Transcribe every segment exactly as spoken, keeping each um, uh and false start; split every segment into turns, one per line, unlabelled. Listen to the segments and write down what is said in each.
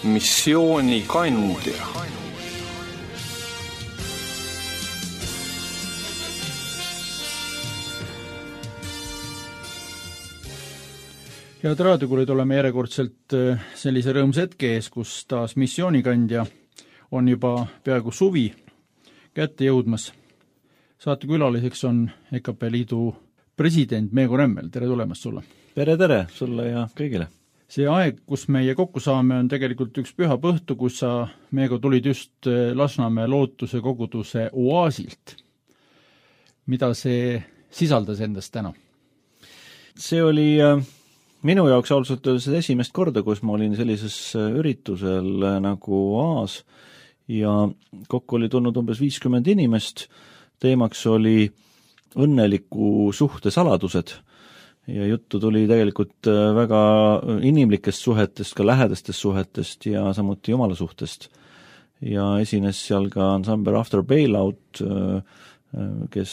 missioonikandja.
Head raadiokuulajad, oleme järjekordselt sellise rõõmsa hetke ees, kus taas missioonikandja on juba peaaegu suvi kätte jõudmas. Saate külaliseks on E K P Liidu president Meego Remmel. Tere tulemast sulle!
Tere, tere sulle ja kõigile!
See aeg, kus meie kokku saame, on tegelikult üks pühap õhtu, kus sa, Meego, tulid just Lasnamäe lootuse koguduse oaasilt. Mida see sisaldas endast täna?
See oli minu jaoks ausalt öeldes esimest korda, kus ma olin sellises üritusel nagu Oas ja kokku oli tulnud umbes viiskümmend inimest. Teemaks oli õnneliku suhte saladused ja juttu tuli tegelikult väga inimlikest suhetest, ka lähedastest suhetest ja samuti Jumala suhtest. Ja esines seal ka ansambel After Bailout, kes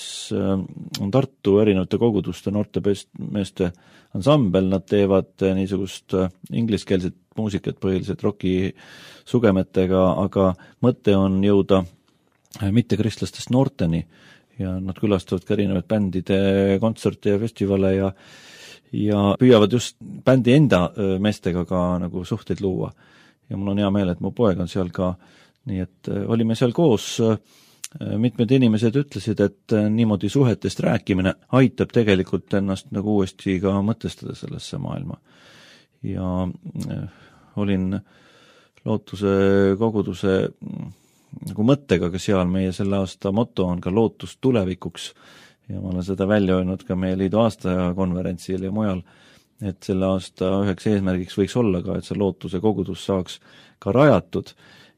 on Tartu erinevate koguduste noortemeeste ansambel. Nad teevad niisugust ingliskeelset muusikat põhiliselt roki sugemetega, aga mõte on jõuda mittekristlastest noorteni ja nad külastavad ka erinevaid bändide kontserte ja festivale ja, ja püüavad just bändi enda meestega ka nagu suhteid luua. Ja mul on hea meel, et mu poeg on seal ka, nii et olime seal koos. Mitmed inimesed ütlesid, et niimoodi suhetest rääkimine aitab tegelikult ennast nagu uuesti ka mõtestada sellesse maailma. Ja olin lootuse koguduse nagu mõttega ka seal. Meie selle aasta moto on ka lootus tulevikuks ja ma olen seda välja öelnud ka meie liidu aastakonverentsil ja mujal, et selle aasta üheks eesmärgiks võiks olla ka, et see lootuse kogudus saaks ka rajatud.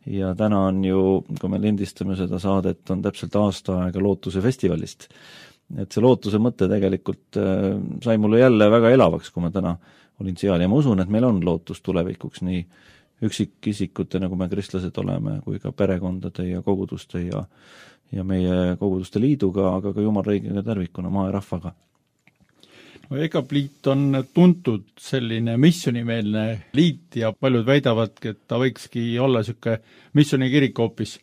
Ja täna on ju, kui me lindistame seda saadet, on täpselt aasta aega lootuse festivalist. Et see lootuse mõte tegelikult sai mulle jälle väga elavaks, kui ma täna olin seal ja ma usun, et meil on lootus tulevikuks nii üksikisikute, nagu me kristlased oleme, kui ka perekondade ja koguduste ja, ja meie koguduste liiduga, aga ka Jumalriigiga tervikuna, maa ja rahvaga.
No, E K P Liit on tuntud selline missionimeelne liit ja paljud väidavad, et ta võikski olla selline missionikirik hoopis,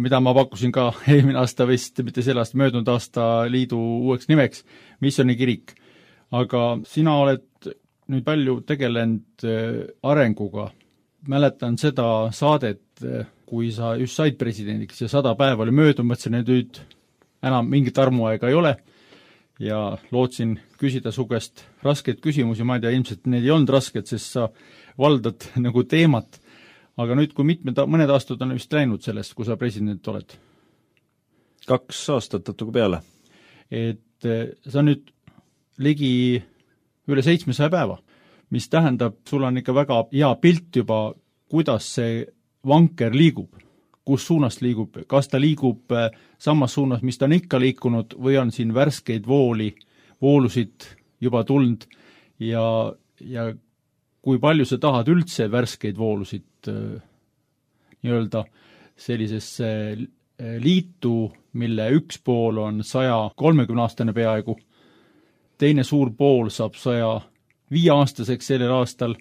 mida ma pakkusin ka eelmine aasta vist, mitte selle aasta, möödunud aasta liidu uueks nimeks, missionikirik. Aga sina oled nüüd palju tegelenud arenguga. Mäletan seda saadet, kui sa just said presidendiks ja sada päeva oli möödunud, mõtlesin, et nüüd enam mingit armuaega ei ole. Ja lootsin küsida su käest raskeid küsimusi, ma ei tea, ilmselt need ei olnud rasked, sest sa valdad nagu teemat. Aga nüüd, kui mitmed, mõned aastad on vist läinud sellest, kui sa president oled?
Kaks aastat natuke peale.
Et sa nüüd ligi üle seitsmesaja päeva, mis tähendab, sul on ikka väga hea pilt juba, kuidas see vanker liigub. Kus suunast liigub, kas ta liigub samas suunas, mis ta on ikka liikunud või on siin värskeid vooli, voolusid juba tulnud ja, ja kui palju sa tahad üldse värskeid voolusid nii-öelda sellisesse liitu, mille üks pool on saja kolmekümne aastane peaaegu, teine suur pool saab saja viie aastaseks sellel aastal,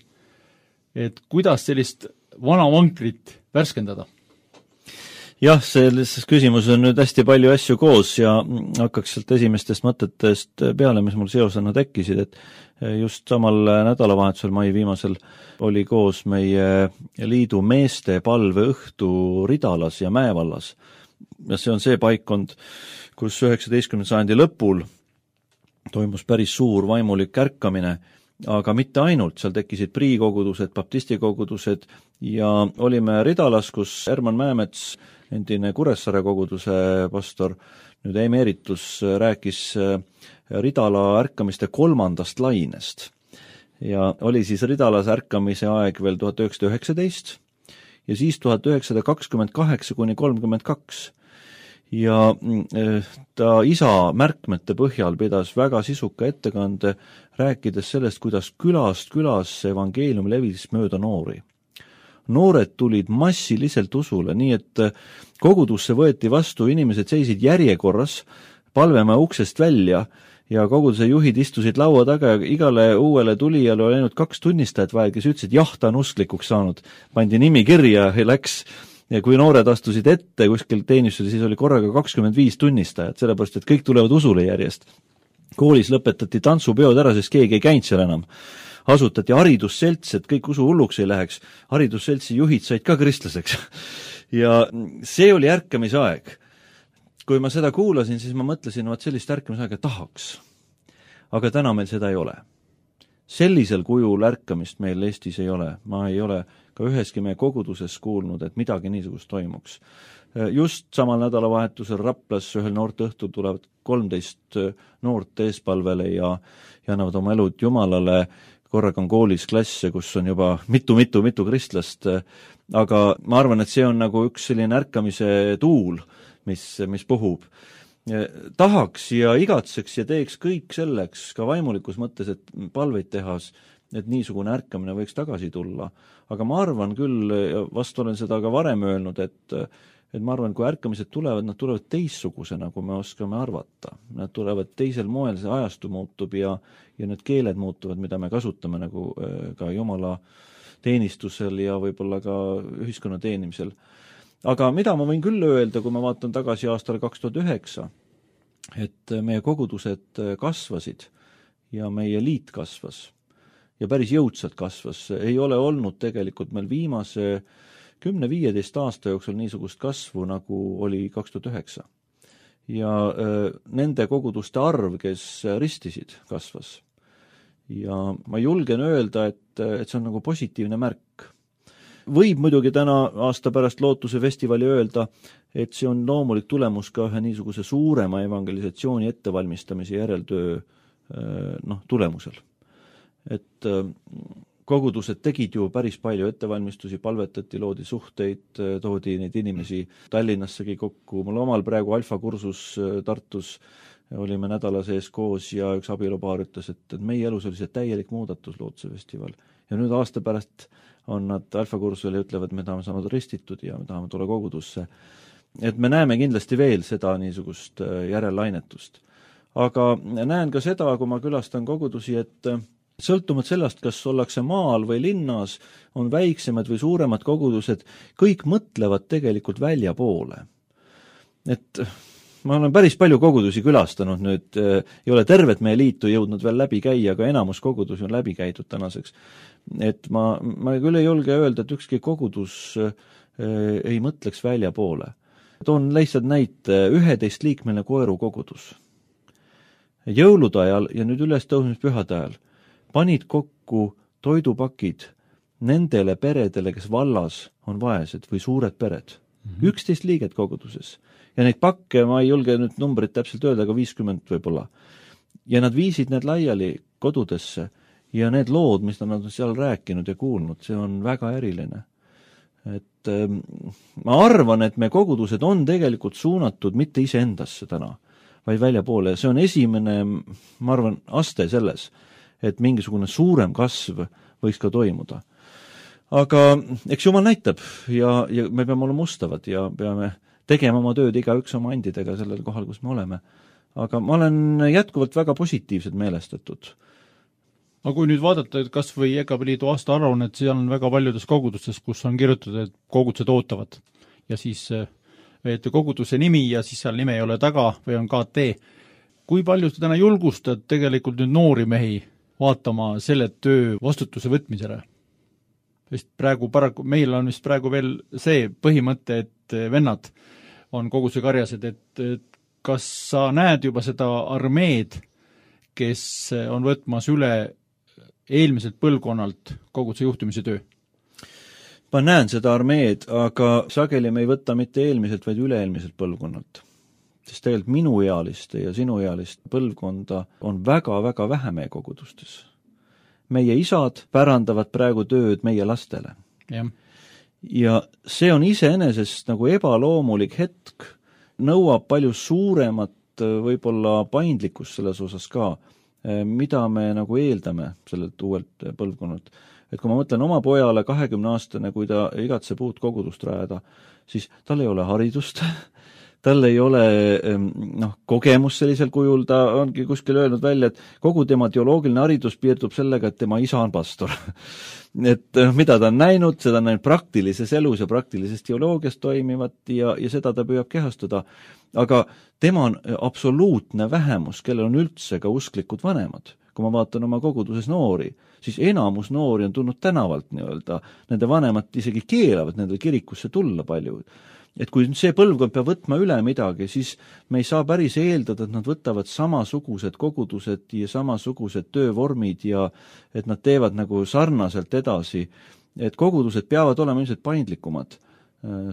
et kuidas sellist vana vankrit värskendada?
Jah, selles küsimus on nüüd hästi palju asju koos ja hakkaks sealt esimestest mõtetest peale, mis mul seosena tekkisid, et just samal nädalavahetusel mai viimasel oli koos meie liidu meeste palve õhtu Ridalas ja Mäevallas. Ja see on see paikkond, kus üheksateistkümnenda sajandi lõpul toimus päris suur vaimulik ärkamine, aga mitte ainult, seal tekkisid priikogudused, baptistikogudused ja olime Ridalas, kus Herman Mäemets, endine Kuressaare koguduse pastor, nüüd emeritus, rääkis Ridala ärkamiste kolmandast lainest. Ja oli siis Ridalas ärkamise aeg veel tuhat üheksasada üheksateist ja siis tuhat üheksasada kakskümmend kaheksa kuni kolmkümmend kaks. Ja ta isa märkmete põhjal pidas väga sisuka ettekande, rääkides sellest, kuidas külast külas evangeelium levis mööda noori. Noored tulid massiliselt usule, nii et kogudusse võeti vastu, inimesed seisid järjekorras, palveme uksest välja ja koguduse juhid istusid laua taga ja igale uuele tulijale oli ainult kaks tunnistajat vaja, kes ütlesid, jah, ta on usklikuks saanud. Pandi nimi kirja ja läks, ja kui noored astusid ette kuskil teenistusel, siis oli korraga kakskümmend viis tunnistajat, sellepärast, et kõik tulevad usule järjest. Koolis lõpetati tantsupeod ära, sest keegi ei käinud seal enam. Asutati haridusselts, et kõik usu hulluks ei läheks. Haridusseltsi juhid said ka kristlaseks. Ja see oli ärkamise aeg. Kui ma seda kuulasin, siis ma mõtlesin, et sellist ärkamisaega tahaks. Aga täna meil seda ei ole. Sellisel kujul ärkamist meil Eestis ei ole. Ma ei ole ka üheski meie koguduses kuulnud, et midagi niisugust toimuks. Just samal nädalavahetusel Raplas ühel noorte õhtul tulevad kolmteist noort eespalvele ja, ja annavad oma elud Jumalale. Korraga on koolis klasse, kus on juba mitu-mitu-mitu kristlast, aga ma arvan, et see on nagu üks selline ärkamise tuul, mis, mis puhub. Tahaks ja igatseks ja teeks kõik selleks ka vaimulikus mõttes, et palveid tehas, et niisugune ärkamine võiks tagasi tulla. Aga ma arvan küll, vast olen seda ka varem öelnud, et et ma arvan, kui ärkamised tulevad, nad tulevad teissugusena, kui me oskame arvata. Nad tulevad teisel moel, see ajastu muutub ja, ja need keeled muutuvad, mida me kasutame nagu ka Jumala teenistusel ja võib-olla ka ühiskonna teenimisel. Aga mida ma võin küll öelda, kui ma vaatan tagasi aastale kaks tuhat üheksa, et meie kogudused kasvasid ja meie liit kasvas ja päris jõudsalt kasvas. Ei ole olnud tegelikult meil viimase kümne viieteist aasta jooksul niisugust kasvu, nagu oli kaks tuhat üheksa. Ja äh, nende koguduste arv, kes ristisid, kasvas. Ja ma julgen öelda, et, et see on nagu positiivne märk. Võib muidugi täna aasta pärast Lootuse festivali öelda, et see on loomulik tulemus ka ühe niisuguse suurema evangelisatsiooni ettevalmistamise järeltöö äh, noh, tulemusel. Et äh, kogudused tegid ju päris palju ettevalmistusi, palvetati, loodi suhteid, toodi neid inimesi Tallinnassegi kokku. Mul omal praegu alfa-kursus Tartus olime nädala sees koos ja üks abielupaar ütles, et, et meie elus oli see täielik muudatus Lootuse festival. Ja nüüd aasta pärast on nad alfa-kursusel ja ütlevad, me tahame saanud ristitud ja me tahame tulla kogudusse. Et me näeme kindlasti veel seda niisugust järellainetusest. Aga näen ka seda, kui ma külastan kogudusi, et sõltumad sellest, kas ollakse maal või linnas, on väiksemad või suuremad kogudused, kõik mõtlevad tegelikult välja poole. Et ma olen päris palju kogudusi külastanud nüüd, ei ole tervet meie liitu jõudnud veel läbi käia, aga enamus kogudusi on läbi käidud tänaseks. Et ma, ma küll ei julge öelda, et ükski kogudus ei mõtleks välja poole. Toon lihtsalt näite, üheteist liikmeline koeru kogudus. Jõulude ajal ja nüüd üles tõusmispühade ajal panid kokku toidupakid nendele peredele, kes vallas on vaesed või suured pered. üksteist mm-hmm. liiget koguduses. Ja neid pakke, ma ei julge nüüd numbrit täpselt öelda, aga viiskümmend võib-olla. Ja nad viisid need laiali kodudesse ja need lood, mis nad on seal rääkinud ja kuulnud, see on väga eriline. Et ähm, ma arvan, et me kogudused on tegelikult suunatud mitte iseendasse täna, vaid välja poole. See on esimene, ma arvan, aste selles, et mingisugune suurem kasv võiks ka toimuda. Aga eks Jumal näitab ja, ja me peame olema ustavad ja peame tegema oma tööd igaüks oma andidega sellel kohal, kus me oleme. Aga ma olen jätkuvalt väga positiivsed meelestatud.
Aga kui nüüd vaadata, et kas või Egapili liidu aasta aruannet, seal on väga paljudes kogudustes, kus on kirjutatud, et kogudused ootavad. Ja siis et koguduse nimi ja siis seal nime ei ole taga või on K T. Kui palju te täna julgustad tegelikult nüüd noori mehi vaatama selle töö vastutuse võtmisele? Sest praegu paraku, meil on vist praegu veel see põhimõte, et vennad on koguduse karjased, et, et kas sa näed juba seda armeed, kes on võtmas üle eelmiselt põlvkonnalt koguduse juhtimise töö?
Ma näen seda armeed, aga sageli me ei võta mitte eelmiselt, vaid üle-eelmiselt põlvkonnalt. Sest tegelikult minuealiste ja sinuealist põlvkonda on väga-väga vähe meie kogudustes. Meie isad pärandavad praegu tööd meie lastele.
Ja,
ja see on iseenesest nagu ebaloomulik hetk, nõuab palju suuremat võib-olla paindlikkust selles osas ka, mida me nagu eeldame sellelt uuelt põlvkonnalt. Et kui ma mõtlen oma pojale kahekümne aastane, kui ta igatseb uut kogudust rajada, siis tal ei ole haridust, tal ei ole noh, kogemus sellisel kujul, ta ongi kuskil öelnud välja, et kogu tema teoloogiline haridus piirdub sellega, et tema isa on pastor. et mida ta on näinud, seda on näinud praktilises elus ja praktilises teoloogias toimivat ja, ja seda ta püüab kehastada. Aga tema on absoluutne vähemus, kellel on üldse ka usklikud vanemad. Kui ma vaatan oma koguduses noori, siis enamus noori on tulnud tänavalt nii-öelda, nende vanemad isegi keelavad nendele kirikusse tulla palju. Et kui see põlvkond peab võtma üle midagi, siis me ei saa päris eeldada, et nad võtavad samasugused kogudused ja samasugused töövormid ja et nad teevad nagu sarnaselt edasi. Et kogudused peavad olema ilmselt paindlikumad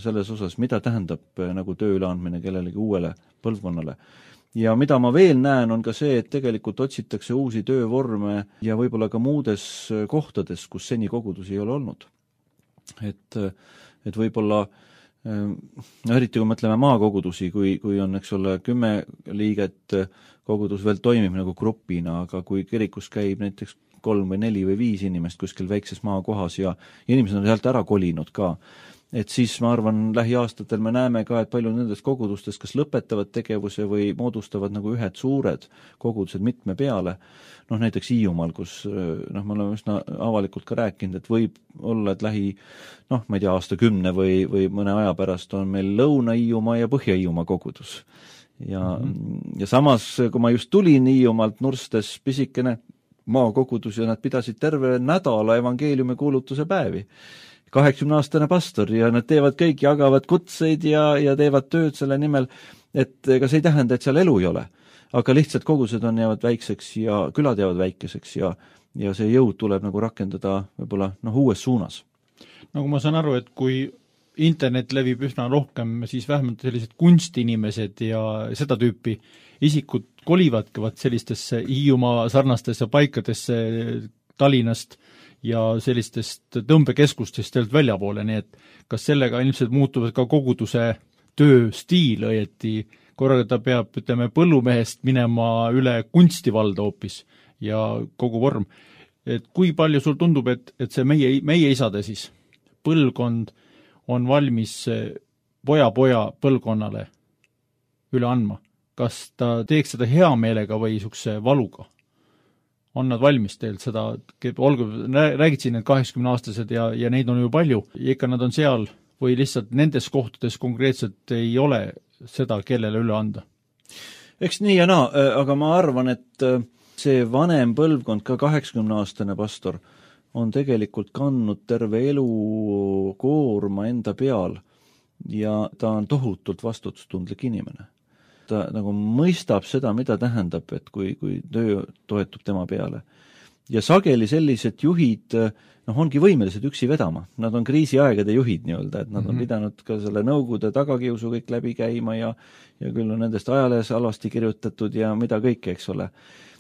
selles osas, mida tähendab nagu töö üleandmine kellelegi uuele põlvkonnale. Ja mida ma veel näen, on ka see, et tegelikult otsitakse uusi töövorme ja võib-olla ka muudes kohtades, kus seni kogudusi ei ole olnud. Et, et võib-olla, no eriti kui mõtleme maakogudusi, kui, kui on, eks ole, kümme liiget, kogudus veel toimib nagu grupina, aga kui kirikus käib näiteks kolm või neli või viis inimest kuskil väikses maakohas ja inimesed on sealt ära kolinud ka, et siis ma arvan, lähiaastatel me näeme ka, et palju nendest kogudustest kas lõpetavad tegevuse või moodustavad nagu ühed suured kogudused mitme peale. Noh, näiteks Hiiumaal, kus noh, me oleme üsna avalikult ka rääkinud, et võib olla, et lähi, noh, ma ei tea, aastakümne või, või mõne aja pärast on meil Lõuna-Hiiumaa ja Põhja-Hiiumaa kogudus. Ja, mm-hmm. ja samas, kui ma just tulin Hiiumaalt Nurstes pisikene maakogudus ja nad pidasid terve nädala evangeeliumi kuulutuse päevi. kaheksakümne-aastane pastor ja nad teevad kõik, jagavad kutseid ja, ja teevad tööd selle nimel, et ega see ei tähenda, et seal elu ei ole. Aga lihtsalt kogused on jäävad väikseks ja külad jäävad väikeseks ja, ja see jõud tuleb nagu rakendada võib-olla noh, uues suunas.
Nagu ma saan aru, et kui internet levib üsna rohkem, siis vähemalt sellised kunstinimesed ja seda tüüpi isikud kolivadki vaat sellistesse Hiiumaa sarnastesse paikadesse Tallinnast ja sellistest tõmbekeskustest teelt väljapoole, nii et kas sellega ilmselt muutuvad ka koguduse tööstiil õieti, korraga ta peab, ütleme, põllumehest minema üle kunstivalda hoopis ja kogu vorm. Et kui palju sul tundub, et, et see meie, meie isade siis põlvkond on valmis poja-poja põlvkonnale üle andma? Kas ta teeks seda hea meelega või niisuguse valuga? On nad valmis teilt seda, olgu, räägid siin need kaheksakümne-aastased ja, ja neid on ju palju, ja ikka nad on seal või lihtsalt nendes kohtades konkreetselt ei ole seda, kellele üle anda?
Eks nii ja naa, aga ma arvan, et see vanem põlvkond, ka kaheksakümne-aastane pastor, on tegelikult kandnud terve elu koorma enda peal ja ta on tohutult vastutustundlik inimene. Ta nagu mõistab seda, mida tähendab, et kui, kui töö toetub tema peale. Ja sageli sellised juhid noh, ongi võimelised üksi vedama. Nad on kriisiaegade juhid nii-öelda, et nad mm-hmm. on pidanud ka selle nõukogude tagakiusu kõik läbi käima ja, ja küll on nendest ajalehes alasti kirjutatud ja mida kõike, eks ole.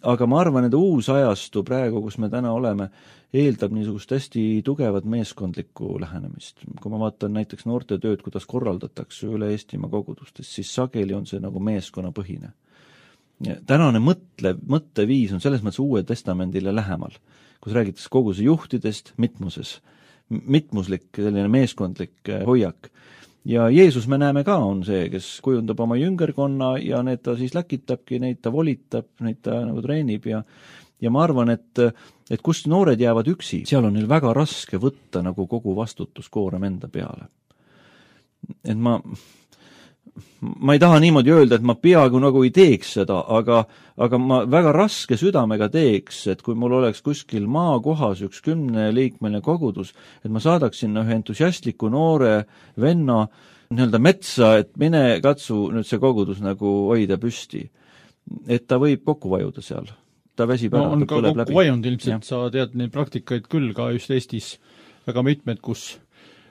Aga ma arvan, et uus ajastu praegu, kus me täna oleme, eeldab niisugust hästi tugevat meeskondlikku lähenemist. Kui ma vaatan näiteks noorte tööd, kuidas korraldatakse üle Eestimaa kogudustes, siis sageli on see nagu meeskonnapõhine. Tänane mõtle, mõtteviis on selles mõttes Uue Testamendile lähemal, kus räägitakse koguse juhtidest mitmuses, mitmuslik selline meeskondlik hoiak. Ja Jeesus me näeme ka on see, kes kujundab oma jüngerkonna ja need ta siis läkitabki, neid ta volitab, neid ta nagu treenib ja ja ma arvan, et, et kus noored jäävad üksi, seal on neil väga raske võtta nagu kogu vastutuskoorem enda peale. Et ma, ma ei taha niimoodi öelda, et ma peaaegu nagu ei teeks seda, aga, aga ma väga raske südamega teeks, et kui mul oleks kuskil maakohas üks kümneliikmeline kogudus, et ma saadaksin ühe entusiastliku noore venna nii-öelda metsa, et mine katsu nüüd see kogudus nagu hoida püsti. Et ta võib kokku vajuda seal. Ta väsib ära,
no, on ka kokku vajunud ilmselt, ja. Sa tead neid praktikaid küll ka just Eestis väga mitmed, kus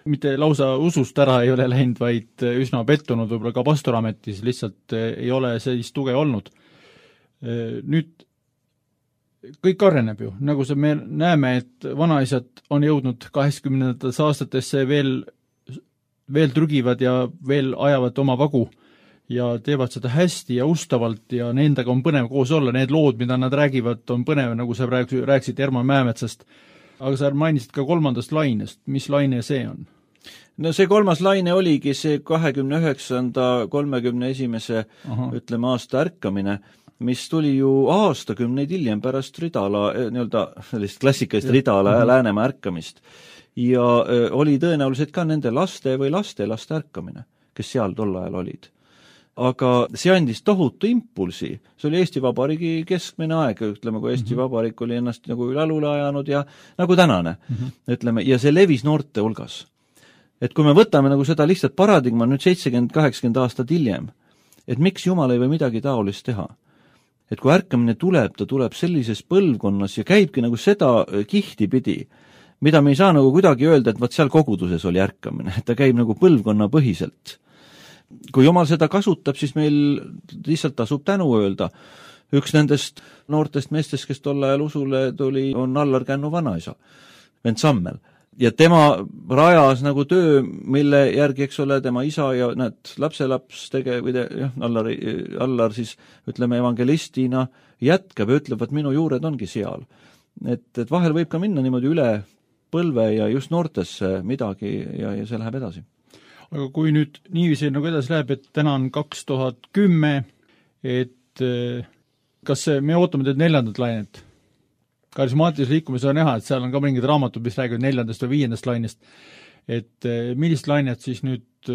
mitte lausa usust ära ei ole läinud, vaid üsna pettunud võib-olla ka pastorametis, lihtsalt ei ole sellist tuge olnud. Nüüd kõik areneb ju, nagu see me näeme, et vanaisad on jõudnud kaheksakümnendates aastatesse veel, veel trügivad ja veel ajavad oma vagu ja teevad seda hästi ja ustavalt ja nendega on põnev koos olla, need lood, mida nad räägivad, on põnev, nagu sa rääkisid Herman Mäemetsast. Aga sa mainisid ka kolmandast lainest, mis laine see on?
no see kolmas laine oligi see kahekümne üheksanda kolmekümne esimese Aha. ütleme aasta ärkamine, mis tuli ju aastakümneid hiljem pärast Ridala, nii-öelda sellist klassikalist Ridala ja Läänemaa ärkamist. Ja öö, oli tõenäoliselt ka nende laste või laste laste ärkamine, kes seal tol ajal olid. Aga see andis tohutu impulsi. See oli Eesti Vabariigi keskmine aeg, ütleme, kui Eesti mm -hmm. Vabariik oli ennast nagu jalule ajanud ja nagu tänane, mm -hmm. ütleme, ja see levis noorte hulgas. Et kui me võtame nagu seda lihtsalt paradigma nüüd seitsekümmend kaheksakümmend aastat hiljem, et miks Jumal ei või midagi taolist teha? Et kui ärkamine tuleb, ta tuleb sellises põlvkonnas ja käibki nagu seda kihti pidi, mida me ei saa nagu kuidagi öelda, et vaat seal koguduses oli ärkamine, et ta käib nagu põlvkonna põhiselt. Kui Jumal seda kasutab, siis meil lihtsalt tasub tänu öelda. Üks nendest noortest meestest, kes tol ajal usule tuli, on Allar Kännu vanaisa, Vent Sammel. Ja tema rajas nagu töö, mille järgi, eks ole, tema isa ja näed, lapselaps tege-, või te, jah, Allar, Allar siis, ütleme, evangelistina jätkab ja ütleb, et minu juured ongi seal. Et, et vahel võib ka minna niimoodi üle põlve ja just noortesse midagi ja, ja see läheb edasi.
Aga kui nüüd niiviisi nagu edasi läheb, et täna on kaks tuhat kümme, et kas see, me ootame teid neljandat lainet? Karismaatilise liikumise on näha, et seal on ka mingid raamatud, mis räägivad neljandast või viiendast lainest. Et millist lainet siis nüüd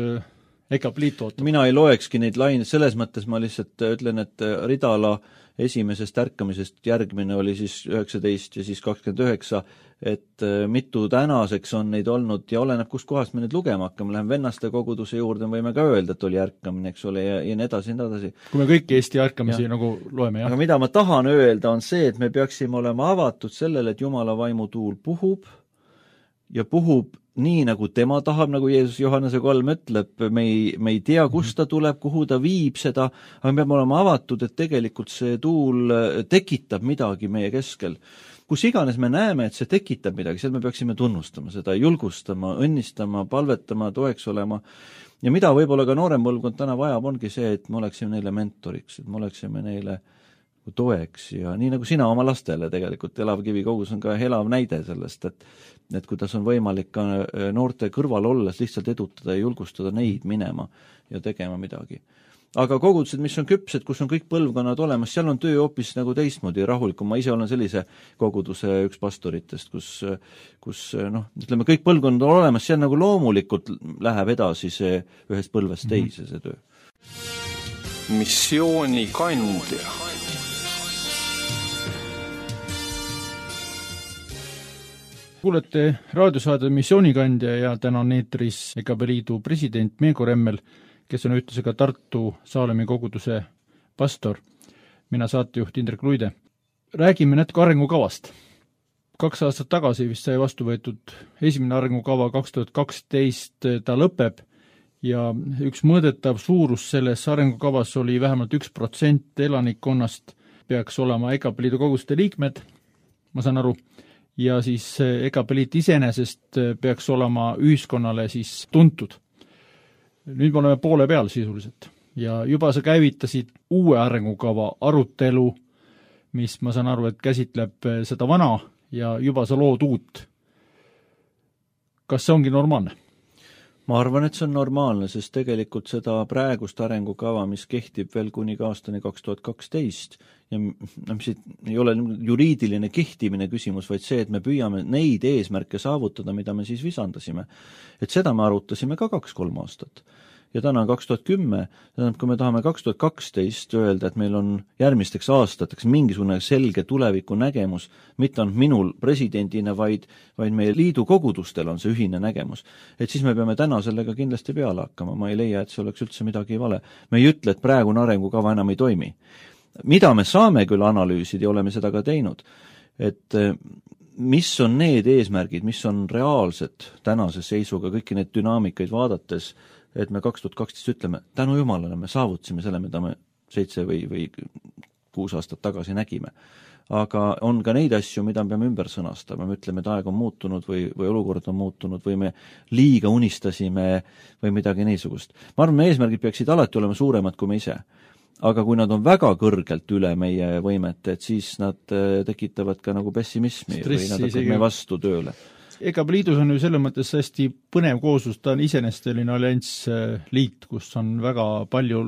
E K P liit ootab?
Mina ei loekski neid laineid, selles mõttes ma lihtsalt ütlen, et Ridala esimesest ärkamisest järgmine oli siis üheksateist ja siis kakskümmend üheksa, et mitu tänaseks on neid olnud ja oleneb, kust kohast me nüüd lugema hakkame, läheme vennaste koguduse juurde, võime ka öelda, et oli ärkamine, eks ole, ja, ja nii edasi, nii edasi.
Kui me kõiki Eesti ärkamisi ja. nagu loeme, jah.
Aga mida ma tahan öelda, on see, et me peaksime olema avatud sellele, et Jumala vaimu tuul puhub ja puhub nii, nagu tema tahab, nagu Jeesus Johannese kolm ütleb, me ei, me ei tea, kust ta tuleb, kuhu ta viib seda, aga me peame olema avatud, et tegelikult see tuul tekitab midagi meie keskel. Kus iganes me näeme, et see tekitab midagi, seal me peaksime tunnustama seda, julgustama, õnnistama, palvetama, toeks olema. Ja mida võib-olla ka noorem põlvkond täna vajab, ongi see, et me oleksime neile mentoriks, et me oleksime neile toeks ja nii nagu sina oma lastele tegelikult, Elav Kivi kogus on ka elav näide sellest, et et kuidas on võimalik ka noorte kõrval olles lihtsalt edutada ja julgustada neid minema ja tegema midagi. Aga kogudused, mis on küpsed, kus on kõik põlvkonnad olemas, seal on töö hoopis nagu teistmoodi rahulikum. Ma ise olen sellise koguduse üks pastoritest, kus, kus noh, ütleme, kõik põlvkonnad on olemas, seal nagu loomulikult läheb edasi see ühest põlvest teise see töö.
Missiooni kandja.
Kuulete raadiosaade Missioonikandja ja täna on eetris E K P liidu president Meego Remmel, kes on ühtlasi Tartu Saalemi koguduse pastor. Mina saatejuht Indrek Luide. Räägime natuke arengukavast. Kaks aastat tagasi vist sai vastu võetud esimene arengukava kaks tuhat kaksteist, ta lõpeb ja üks mõõdetav suurus selles arengukavas oli vähemalt üks protsent elanikkonnast peaks olema E K P liidu koguduste liikmed, ma saan aru, ja siis E K P liit iseenesest peaks olema ühiskonnale siis tuntud. Nüüd me oleme poole peal sisuliselt ja juba sa käivitasid uue arengukava arutelu, mis ma saan aru, et käsitleb seda vana ja juba sa lood uut. Kas see ongi normaalne?
Ma arvan, et see on normaalne, sest tegelikult seda praegust arengukava, mis kehtib veel kuni aastani kaks tuhat kaksteist ja no, mis ei ole juriidiline kehtimine küsimus, vaid see, et me püüame neid eesmärke saavutada, mida me siis visandasime. Et seda me arutasime ka kaks-kolm aastat. Ja täna on kaks tuhat kümme, kui me tahame kaks tuhat kaksteist öelda, et meil on järgmisteks aastateks mingisugune selge tuleviku nägemus, mitte on minul presidendina, vaid, vaid meie liidu kogudustel on see ühine nägemus. Et siis me peame täna sellega kindlasti peale hakkama. Ma ei leia, et see oleks üldse midagi vale. Me ei ütle, et praegune arengukava enam ei toimi. Mida me saame küll analüüsida ja oleme seda ka teinud, et mis on need eesmärgid, mis on reaalsed tänase seisuga, kõiki need dünaamikaid vaadates, et me kaks tuhat kaksteist ütleme, tänu Jumalale me saavutasime selle, mida me seitse või, või kuus aastat tagasi nägime. Aga on ka neid asju, mida me peame ümber sõnastama. Me ütleme, et aeg on muutunud või, või olukord on muutunud või me liiga unistasime või midagi niisugust. Ma arvan, meie eesmärgid peaksid alati olema suuremad kui me ise. Aga kui nad on väga kõrgelt üle meie võimet, et siis nad tekitavad ka nagu pessimismi
Stressi,
või nad hakkavad meie vastu tööle.
ega liidus on ju selles mõttes hästi põnev kooslus, ta on iseenesest selline alliansliit, kus on väga palju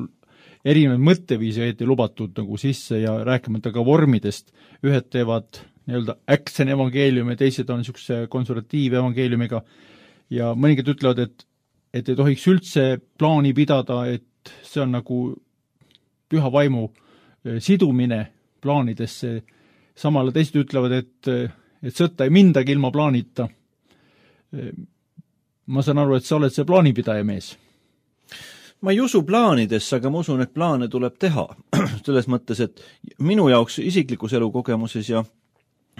erinevaid mõtteviisi õieti lubatud nagu sisse ja rääkimata ka vormidest. Ühed teevad nii-öelda action evangeeliumi, teised on niisuguse konservatiivevangeeliumiga ja mõningad ütlevad, et, et ei tohiks üldse plaani pidada, et see on nagu püha vaimu sidumine plaanidesse. Samale teised ütlevad, et et sõtta ei mindagi ilma plaanita. Ma saan aru, et sa oled see plaanipidaja mees.
Ma ei usu plaanidesse, aga ma usun, et plaane tuleb teha. Selles mõttes, et minu jaoks isiklikus elukogemuses ja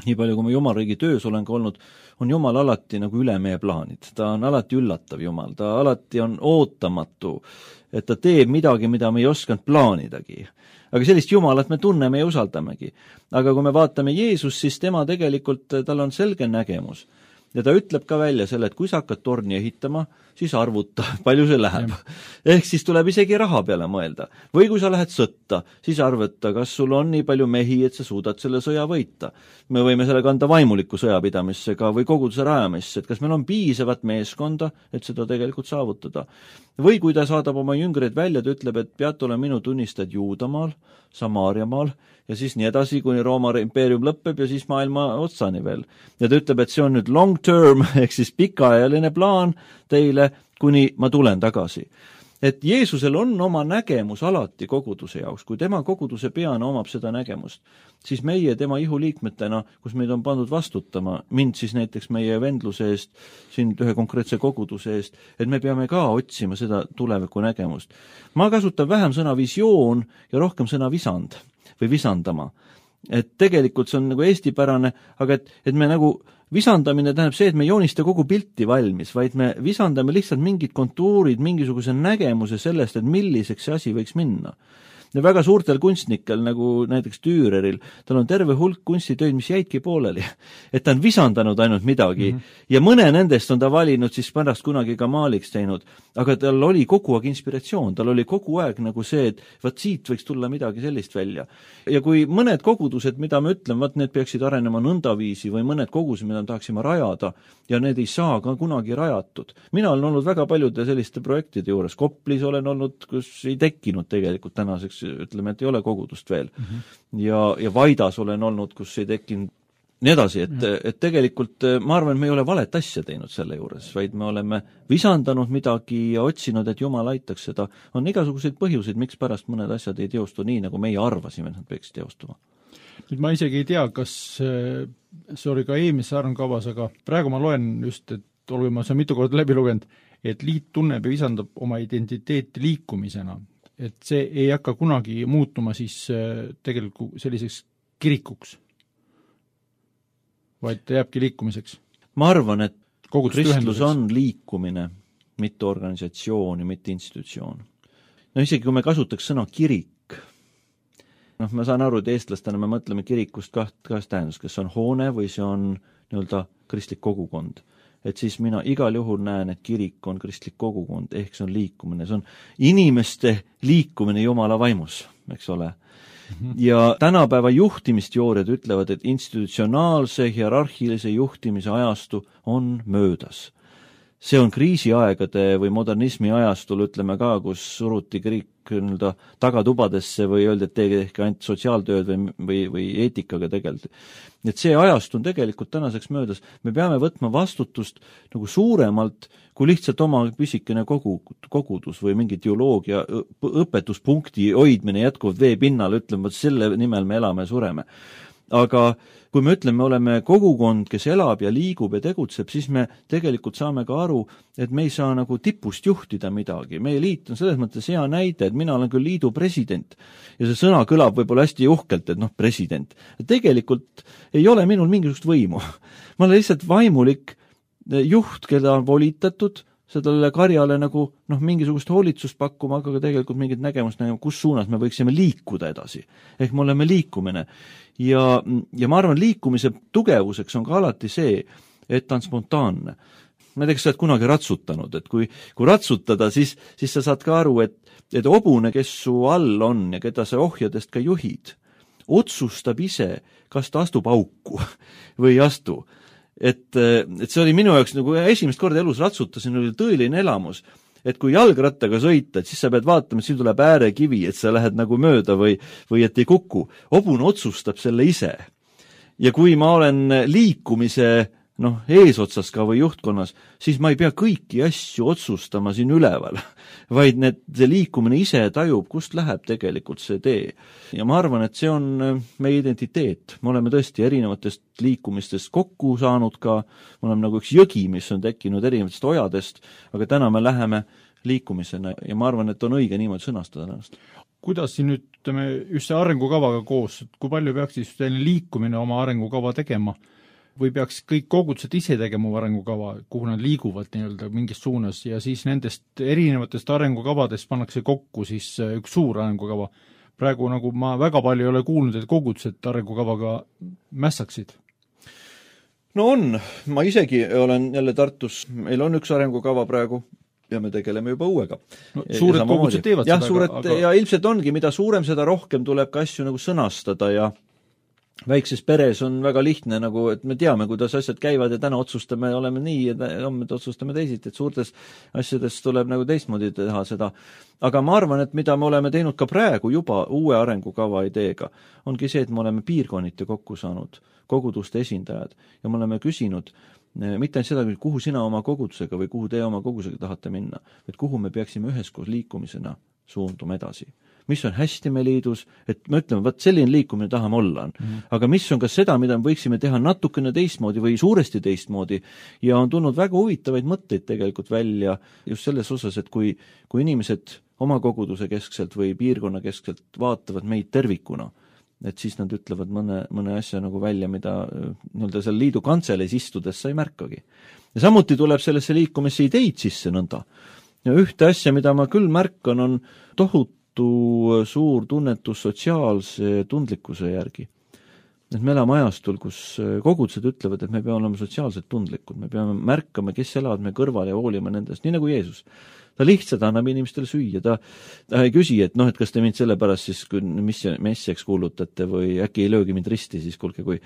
nii palju, kui ma Jumalriigi töös olen ka olnud, on Jumal alati nagu üle meie plaanid. Ta on alati üllatav Jumal, ta alati on ootamatu, et ta teeb midagi, mida me ei osanud plaanidagi. Aga sellist Jumalat me tunneme ja usaldamegi. Aga kui me vaatame Jeesus, siis tema tegelikult, tal on selge nägemus. Ja ta ütleb ka välja selle, et kui sa hakkad torni ehitama, siis arvuta, palju see läheb. Ehk siis tuleb isegi raha peale mõelda. Või kui sa lähed sõtta, siis arvuta, kas sul on nii palju mehi, et sa suudad selle sõja võita. Me võime selle kanda vaimuliku sõjapidamissega või koguduse rajamisse, et kas meil on piisavat meeskonda, et seda tegelikult saavutada. Või kui ta saadab oma jüngreid välja, ta ütleb, et peate olema minu tunnistajad Juudamaal, Samaariamaal ja siis nii edasi, kuni Rooma impeerium lõpeb ja siis maailma otsani veel. Ja ta ütleb, et see on nüüd long term, ehk siis pikaajaline plaan teile, kuni ma tulen tagasi. Et Jeesusel on oma nägemus alati koguduse jaoks. Kui tema koguduse peana omab seda nägemust, siis meie tema ihuliikmetena, kus meid on pandud vastutama, mind siis näiteks meie vendluse eest, siin ühe konkreetse koguduse eest, et me peame ka otsima seda tuleviku nägemust. Ma kasutan vähem sõna visioon ja rohkem sõna visand või visandama. Et tegelikult see on nagu eestipärane, aga et, et me nagu visandamine tähendab see, et me ei joonista kogu pilti valmis, vaid me visandame lihtsalt mingid kontuurid, mingisuguse nägemuse sellest, et milliseks see asi võiks minna. Ja väga suurtel kunstnikel, nagu näiteks Düüreril, tal on terve hulk kunstitöid, mis jäidki pooleli. Et ta on visandanud ainult midagi mm -hmm. ja mõne nendest on ta valinud siis pärast kunagi ka maaliks teinud. Aga tal oli kogu aeg inspiratsioon, tal oli kogu aeg nagu see, et vaat siit võiks tulla midagi sellist välja. Ja kui mõned kogudused, mida me ütleme, vaat need peaksid arenema nõndaviisi või mõned kogudused, mida tahaksime rajada ja need ei saa ka kunagi rajatud. Mina olen olnud väga paljude selliste projektide juures. Koplis olen olnud, kus ei tekkinud tegelikult tänaseks, ütleme, et ei ole kogudust veel. Mm -hmm. ja, ja Vaidas olen olnud, kus ei tekkinud nii edasi, et, et tegelikult ma arvan, et me ei ole valet asja teinud selle juures, vaid me oleme visandanud midagi ja otsinud, et Jumal aitaks seda. On igasuguseid põhjuseid, miks pärast mõned asjad ei teostu nii, nagu meie arvasime, et nad peaksid teostuma.
Nüüd ma isegi ei tea, kas see oli ka eelmises arengukavas, aga praegu ma loen just, et olgu ma see mitu korda läbi lugenud, et liit tunneb ja visandab oma identiteeti liikumisena. Et see ei hakka kunagi muutuma siis tegelikult selliseks kirikuks, vaid ta jääbki liikumiseks.
Ma arvan, et
Kogudust
kristlus on liikumine, mitte organisatsioon ja mitte institutsioon. No isegi kui me kasutaks sõna kirik, noh, ma saan aru, et eestlastena me mõtleme kirikust kaht, kahest tähendust, kas on hoone või see on nii-öelda kristlik kogukond. Et siis mina igal juhul näen, et kirik on kristlik kogukond, ehk see on liikumine, see on inimeste liikumine Jumala vaimus, eks ole. Mm-hmm. Ja tänapäeva juhtimisteooriad ütlevad, et institutsionaalse, hierarhilise juhtimise ajastu on möödas. See on kriisiaegade või modernismi ajastul, ütleme ka, kus suruti kirik nii-öelda tagatubadesse või öeldi, et teege ehk ainult sotsiaaltööd või, või, või eetikaga tegeldi. Et see ajast on tegelikult tänaseks möödas. Me peame võtma vastutust nagu suuremalt kui lihtsalt oma püsikene kogu, kogudus või mingi teoloogia õpetuspunkti hoidmine jätkuvalt vee pinnal, ütleme, et selle nimel me elame ja sureme. Aga kui me ütleme, me oleme kogukond, kes elab ja liigub ja tegutseb, siis me tegelikult saame ka aru, et me ei saa nagu tipust juhtida midagi. Meie liit on selles mõttes hea näide, et mina olen küll liidu president ja see sõna kõlab võib-olla hästi uhkelt, et noh, president. Tegelikult ei ole minul mingisugust võimu. Ma olen lihtsalt vaimulik juht, keda on volitatud sellele karjale nagu noh, mingisugust hoolitsust pakkuma, aga tegelikult mingit nägemust nägema, kus suunas me võiksime liikuda edasi. Ehk me oleme liikumine. Ja, ja ma arvan, liikumise tugevuseks on ka alati see, et ta on spontaanne. Ma ei tea, kas sa oled kunagi ratsutanud, et kui, kui ratsutada, siis, siis sa saad ka aru, et, et hobune, kes su all on ja keda sa ohjadest ka juhid, otsustab ise, kas ta astub auku või ei astu. et, et see oli minu jaoks nagu esimest korda elus ratsutasin, oli tõeline elamus. Et kui jalgrattaga sõita, et siis sa pead vaatama, et siin tuleb äärekivi, et sa lähed nagu mööda või, või et ei kuku. Hobune otsustab selle ise. Ja kui ma olen liikumise noh, eesotsas ka või juhtkonnas, siis ma ei pea kõiki asju otsustama siin üleval, vaid need, see liikumine ise tajub, kust läheb tegelikult see tee. Ja ma arvan, et see on meie identiteet. Me oleme tõesti erinevatest liikumistest kokku saanud ka, me oleme nagu üks jõgi, mis on tekkinud erinevatest ojadest, aga täna me läheme liikumisena ja ma arvan, et on õige niimoodi sõnastada ennast.
Kuidas siin nüüd, ütleme, just see arengukavaga koos, kui palju peaks siis liikumine oma arengukava tegema? Või peaks kõik kogudused ise tegema arengukava, kuhu nad liiguvad nii-öelda mingis suunas ja siis nendest erinevatest arengukavadest pannakse kokku siis üks suur arengukava. Praegu nagu ma väga palju ei ole kuulnud, et kogudused arengukavaga mässaksid.
No on, ma isegi olen jälle Tartus, meil on üks arengukava praegu ja me tegeleme juba uuega.
No, suured kogudused teevad
ja,
seda.
Suured, aga... ja ilmselt ongi, mida suurem, seda rohkem tuleb ka asju nagu sõnastada ja väikses peres on väga lihtne, nagu, et me teame, kuidas asjad käivad ja täna otsustame, oleme nii ja homme otsustame teisiti, et suurtes asjades tuleb nagu teistmoodi teha seda. Aga ma arvan, et mida me oleme teinud ka praegu juba uue arengukava ideega, ongi see, et me oleme piirkonniti kokku saanud, koguduste esindajad, ja me oleme küsinud, mitte ainult seda, kuhu sina oma kogudusega või kuhu te oma kogudusega tahate minna, et kuhu me peaksime üheskoos liikumisena suunduma edasi. Mis on hästi me liidus, et me ütleme, vaat selline liikumine tahame olla. Mm-hmm. Aga mis on ka seda, mida me võiksime teha natukene teistmoodi või suuresti teistmoodi ja on tulnud väga huvitavaid mõtteid tegelikult välja just selles osas, et kui, kui inimesed oma koguduse keskselt või piirkonna keskselt vaatavad meid tervikuna, et siis nad ütlevad mõne, mõne asja nagu välja, mida nii-öelda seal liidu kantseleis istudes sa ei märkagi. Ja samuti tuleb sellesse liikumisse ideid sisse nõnda. Ja ühte asja, mida ma küll märkan, on tohutu suur tunnetus sotsiaalse tundlikkuse järgi. Et me elame ajastul, kus kogudused ütlevad, et me peame olema sotsiaalselt tundlikud, me peame märkama, kes elavad me kõrval ja hoolima nendest, nii nagu Jeesus. Ta lihtsalt annab inimestele süüa, ta, ta ei küsi, et noh, et kas te mind selle pärast siis, kui messiaks kuulutate või äkki ei löögi mind risti, siis kuulge, kui,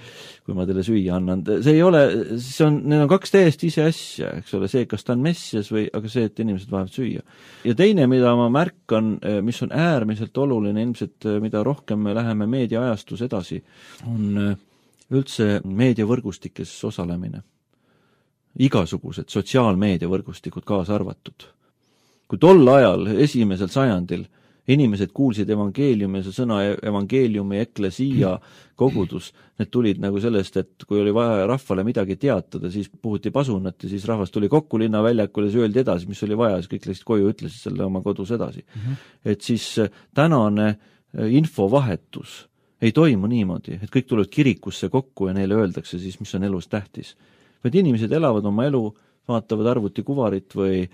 kui ma teile süüa annan. See ei ole, see on, need on kaks täiesti ise asja, eks ole, see, kas ta on messias või, aga see, et inimesed vajavad süüa. Ja teine, mida ma märkan, mis on äärmiselt oluline, ilmselt mida rohkem me läheme meediaajastus edasi, on üldse meediavõrgustikes osalemine. Igasugused sotsiaalmeediavõrgustikud kaasa arvatud. Kui tol ajal, esimesel sajandil, inimesed kuulsid evangeeliumi ja see sõna evangeeliumi, eklesia, kogudus, need tulid nagu sellest, et kui oli vaja rahvale midagi teatada, siis puhuti pasunat ja siis rahvas tuli kokku linnaväljakule ja see öeldi edasi, mis oli vaja, siis kõik läksid koju ja ütlesid selle oma kodus edasi. Mm-hmm. Et siis tänane infovahetus ei toimu niimoodi, et kõik tulevad kirikusse kokku ja neile öeldakse siis, mis on elus tähtis. Vaid inimesed elavad oma elu, vaatavad arvuti kuvarit või,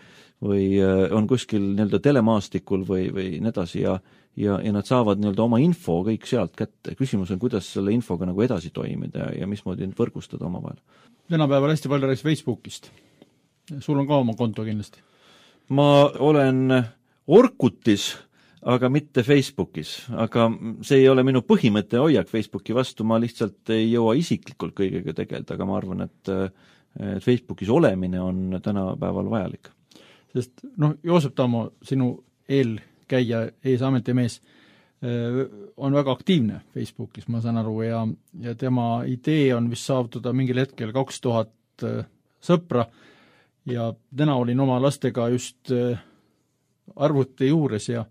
või on kuskil nii-öelda telemaastikul või, või nii edasi ja, ja, ja nad saavad nii-öelda oma info kõik sealt kätte. Küsimus on, kuidas selle infoga nagu edasi toimida ja, ja mismoodi võrgustada oma vahel.
Tänapäeval hästi palju rääkis Facebookist. Sul on ka oma konto kindlasti?
Ma olen Orkutis, aga mitte Facebookis. Aga see ei ole minu põhimõtte hoiak Facebooki vastu, ma lihtsalt ei jõua isiklikult kõigega tegeleda, aga ma arvan, et et Facebookis olemine on tänapäeval vajalik.
Sest noh, Joosep Tammo, sinu eelkäija, eesametimees, on väga aktiivne Facebookis, ma saan aru, ja, ja tema idee on vist saavutada mingil hetkel kaks tuhat sõpra ja täna olin oma lastega just arvuti juures ja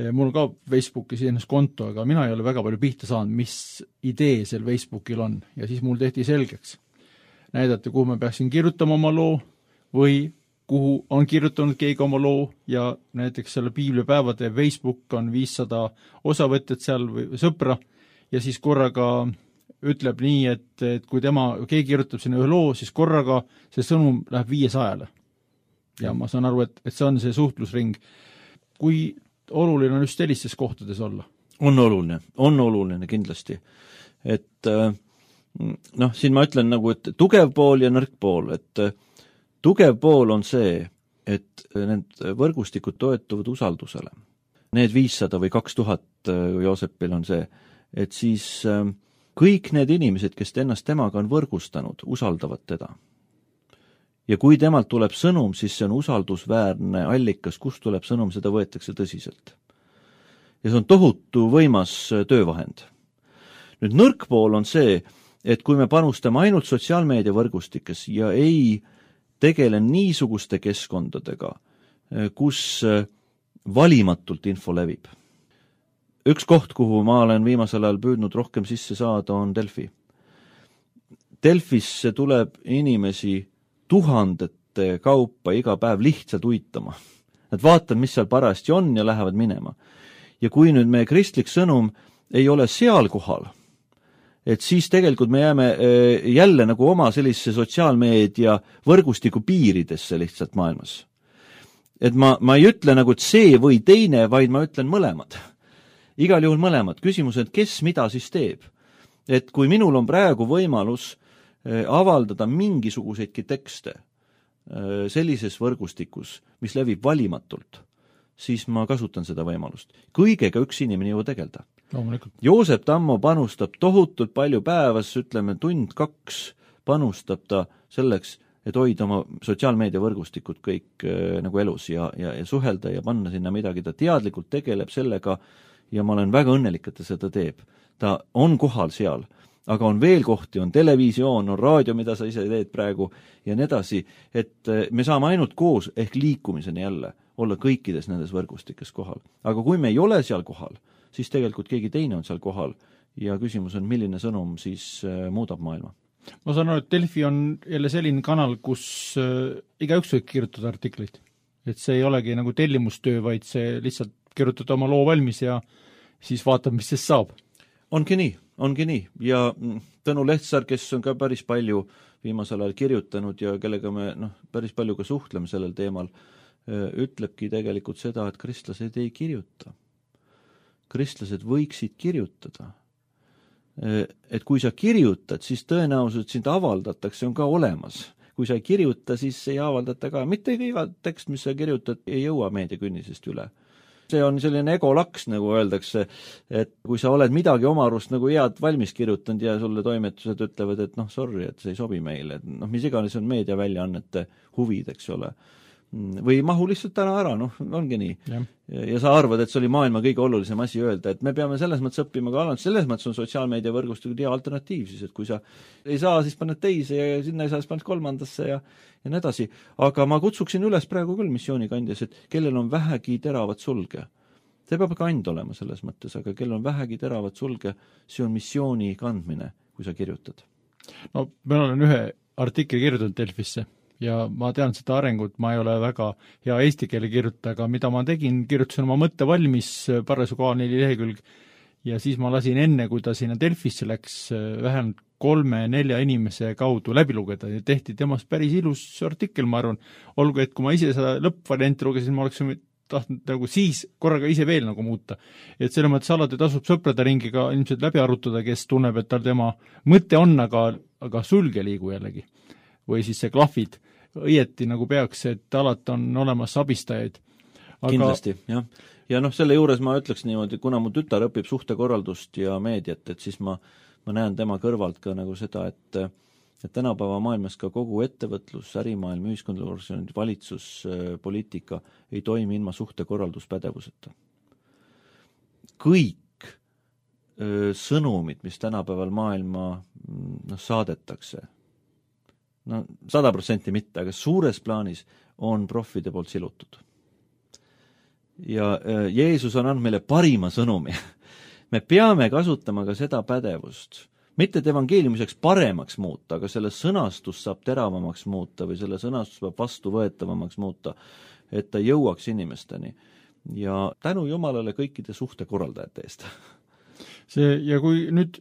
mul on ka Facebookis ennast konto, aga mina ei ole väga palju pihta saanud, mis idee seal Facebookil on ja siis mul tehti selgeks. Näidati, kuhu ma peaksin kirjutama oma loo või kuhu on kirjutanud keegi oma loo ja näiteks selle piiblipäevade Facebook on viissada osavõtjat seal või sõpra ja siis korraga ütleb nii, et, et kui tema, keegi kirjutab sinna ühe loo, siis korraga see sõnum läheb viiesajale. Ja ma saan aru, et, et see on see suhtlusring. Kui oluline on just sellistes kohtades olla?
On oluline, on oluline kindlasti. Et noh, siin ma ütlen nagu, et tugev pool ja nõrk pool, et tugev pool on see, et need võrgustikud toetuvad usaldusele. Need viissada või kaks tuhat Joosepil on see, et siis kõik need inimesed, kes ennast temaga on võrgustanud, usaldavad teda. Ja kui temalt tuleb sõnum, siis see on usaldusväärne allikas, kust tuleb sõnum, seda võetakse tõsiselt. Ja see on tohutu võimas töövahend. Nüüd nõrk pool on see, et kui me panustame ainult sotsiaalmeedia võrgustikes ja ei tegele niisuguste keskkondadega, kus valimatult info levib. Üks koht, kuhu ma olen viimasel ajal püüdnud rohkem sisse saada, on Delfi. Delfisse tuleb inimesi tuhandete kaupa iga päev lihtsalt uitama. Nad vaatavad, mis seal parajasti on ja lähevad minema. Ja kui nüüd meie kristlik sõnum ei ole seal kohal, et siis tegelikult me jääme jälle nagu oma sellise sotsiaalmeedia võrgustiku piiridesse lihtsalt maailmas. Et ma, ma ei ütle nagu, et see või teine, vaid ma ütlen mõlemad. Igal juhul mõlemad. Küsimus, et kes mida siis teeb. Et kui minul on praegu võimalus avaldada mingisuguseidki tekste sellises võrgustikus, mis levib valimatult, siis ma kasutan seda võimalust. Kõigega üks inimene ju tegelda.
Loomulikult.
Joosep Tammo panustab tohutult palju päevas, ütleme tund kaks panustab ta selleks, et hoida oma sotsiaalmeedia võrgustikud kõik äh, nagu elus ja, ja, ja suhelda ja panna sinna midagi. Ta teadlikult tegeleb sellega ja ma olen väga õnnelik, et ta seda teeb. Ta on kohal seal, aga on veel kohti, on televisioon, on raadio, mida sa ise teed praegu ja nii edasi, et äh, me saame ainult koos ehk liikumiseni jälle olla kõikides nendes võrgustikes kohal. Aga kui me ei ole seal kohal, siis tegelikult keegi teine on seal kohal ja küsimus on, milline sõnum siis äh, muudab maailma.
Ma saan aru, et Delfi on jälle selline kanal, kus äh, igaüks võib kirjutada artikleid. Et see ei olegi nagu tellimustöö, vaid see lihtsalt kirjutada oma loo valmis ja siis vaatab, mis sest saab.
Ongi nii, ongi nii. Ja Tõnu Lehtsaar, kes on ka päris palju viimasel ajal kirjutanud ja kellega me noh, päris palju ka suhtleme sellel teemal, ütlebki tegelikult seda, et kristlased ei kirjuta. Kristlased võiksid kirjutada. Et kui sa kirjutad, siis tõenäoliselt sind avaldatakse, on ka olemas. Kui sa ei kirjuta, siis ei avaldata ka. Mitte iga tekst, mis sa kirjutad, ei jõua meediakünnisest üle. See on selline egolaks, nagu öeldakse, et kui sa oled midagi oma arust nagu head valmis kirjutanud ja sulle toimetused ütlevad, et noh, sorry, et see ei sobi meile. Et noh, mis iganes on meediaväljaannete huvid, eks ole. Või mahu lihtsalt täna ära, noh, ongi nii. Ja. ja sa arvad, et see oli maailma kõige olulisem asi öelda, et me peame selles mõttes õppima ka alanud, selles mõttes on sotsiaalmeedia võrgustikud hea alternatiiv siis, et kui sa ei saa, siis paned teise ja sinna ei saa, siis paned kolmandasse ja, ja nii edasi. Aga ma kutsuksin üles praegu küll missioonikandjas, et kellel on vähegi teravat sulge. See peab ka and olema selles mõttes, aga kellel on vähegi teravat sulge, see on missiooni kandmine, kui sa kirjutad.
No, ma olen ühe artikli kirjutanud Delfisse. Ja ma tean seda arengut, ma ei ole väga hea eesti keele kirjuta, aga mida ma tegin, kirjutasin oma mõtte valmis parasjagu A neli lehekülg ja siis ma lasin enne, kui ta sinna Delfisse läks, vähemalt kolme-nelja inimese kaudu läbi lugeda ja tehti temast päris ilus artikkel, ma arvan. Olgu, et kui ma ise seda lõppvarianti lugesin, ma oleks tahtnud nagu siis korraga ise veel nagu muuta. Et selle mõttes alati tasub sõprade ringiga ilmselt läbi arutada, kes tunneb, et tal tema mõte on, aga, aga sulge liigu jällegi. Või siis see klahvid õieti nagu peaks, et alati on olemas abistajaid.
Aga... Kindlasti, jah. Ja noh, selle juures ma ütleks niimoodi, kuna mu tütar õpib suhtekorraldust ja meediat, et siis ma, ma näen tema kõrvalt ka nagu seda, et, et tänapäeva maailmas ka kogu ettevõtlus, ärimaailm, ühiskondlik valitsus, poliitika ei toimi ilma suhtekorralduspädevuseta. Kõik öö, sõnumid, mis tänapäeval maailma no, saadetakse, no sada protsenti mitte, aga suures plaanis on profide poolt silutud. Ja äh, Jeesus on andnud meile parima sõnumi. Me peame kasutama ka seda pädevust. Mitte et evangeeliumiseks paremaks muuta, aga selle sõnastus saab teravamaks muuta või selle sõnastus peab vastuvõetavamaks muuta, et ta jõuaks inimesteni. Ja tänu Jumalale kõikide suhtekorraldajate eest.
See, ja kui nüüd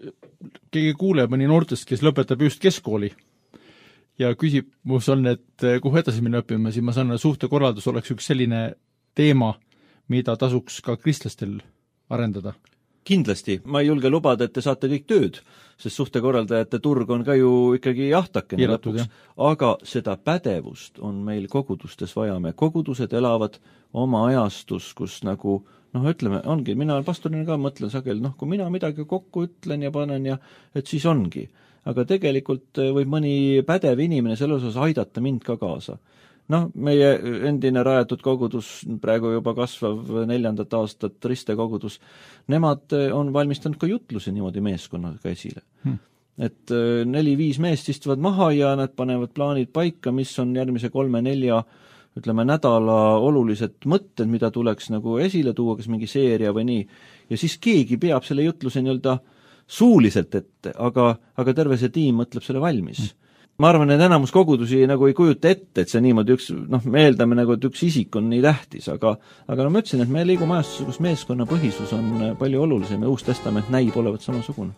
keegi kuuleb mõni noortest, kes lõpetab just keskkooli, ja küsimus on, et kuhu edasi minna õppima, siis ma saan, et suhtekorraldus oleks üks selline teema, mida tasuks ka kristlastel arendada.
Kindlasti. Ma ei julge lubada, et te saate kõik tööd, sest suhtekorraldajate turg on ka ju ikkagi jahtakene lõpuks. Aga seda pädevust on meil kogudustes vaja. Me kogudused elavad oma ajastus, kus nagu noh, ütleme, ongi, mina pastorina ka mõtlen sageli, noh, kui mina midagi kokku ütlen ja panen ja et siis ongi. Aga tegelikult võib mõni pädev inimene selle osas aidata mind ka kaasa. Noh, meie endine rajatud kogudus, praegu juba kasvav neljandat aastat Riste kogudus, nemad on valmistanud ka jutlusi niimoodi meeskonnaga esile. Hmm. Et neli-viis meest istuvad maha ja nad panevad plaanid paika, mis on järgmise kolme-nelja ütleme, nädala olulised mõtted, mida tuleks nagu esile tuua, kas mingi seeria või nii. Ja siis keegi peab selle jutluse nii-öelda suuliselt ette, aga, aga terve see tiim mõtleb selle valmis. Mm. Ma arvan, et enamus kogudusi nagu ei kujuta ette, et see niimoodi üks, noh, me eeldame nagu, et üks isik on nii tähtis, aga, aga no ma ütlesin, et me liigume ajastuses, kus meeskonna põhisus on palju olulisem ja Uus Testament näib olevat samasugune.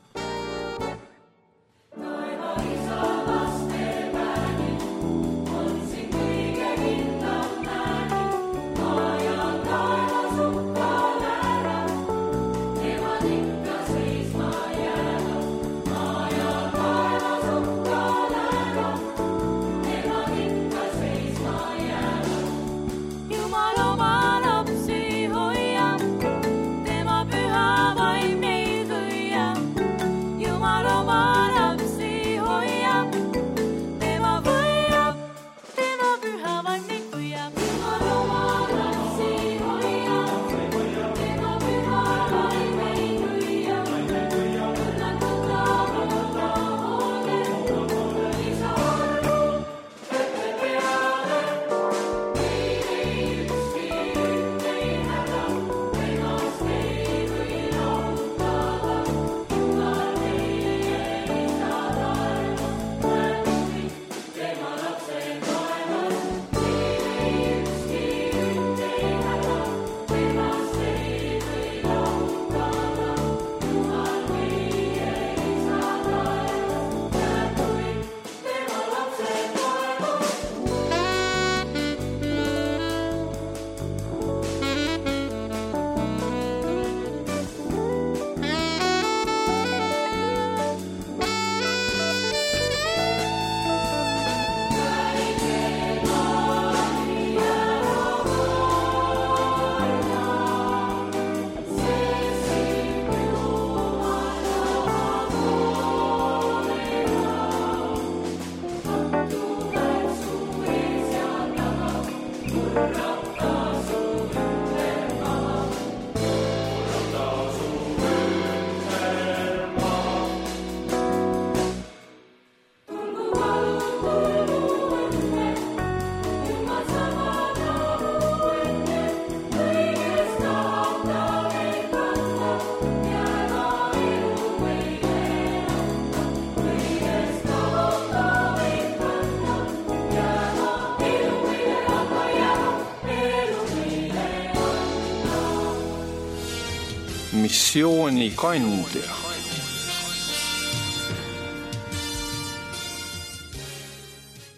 Missioonikandja.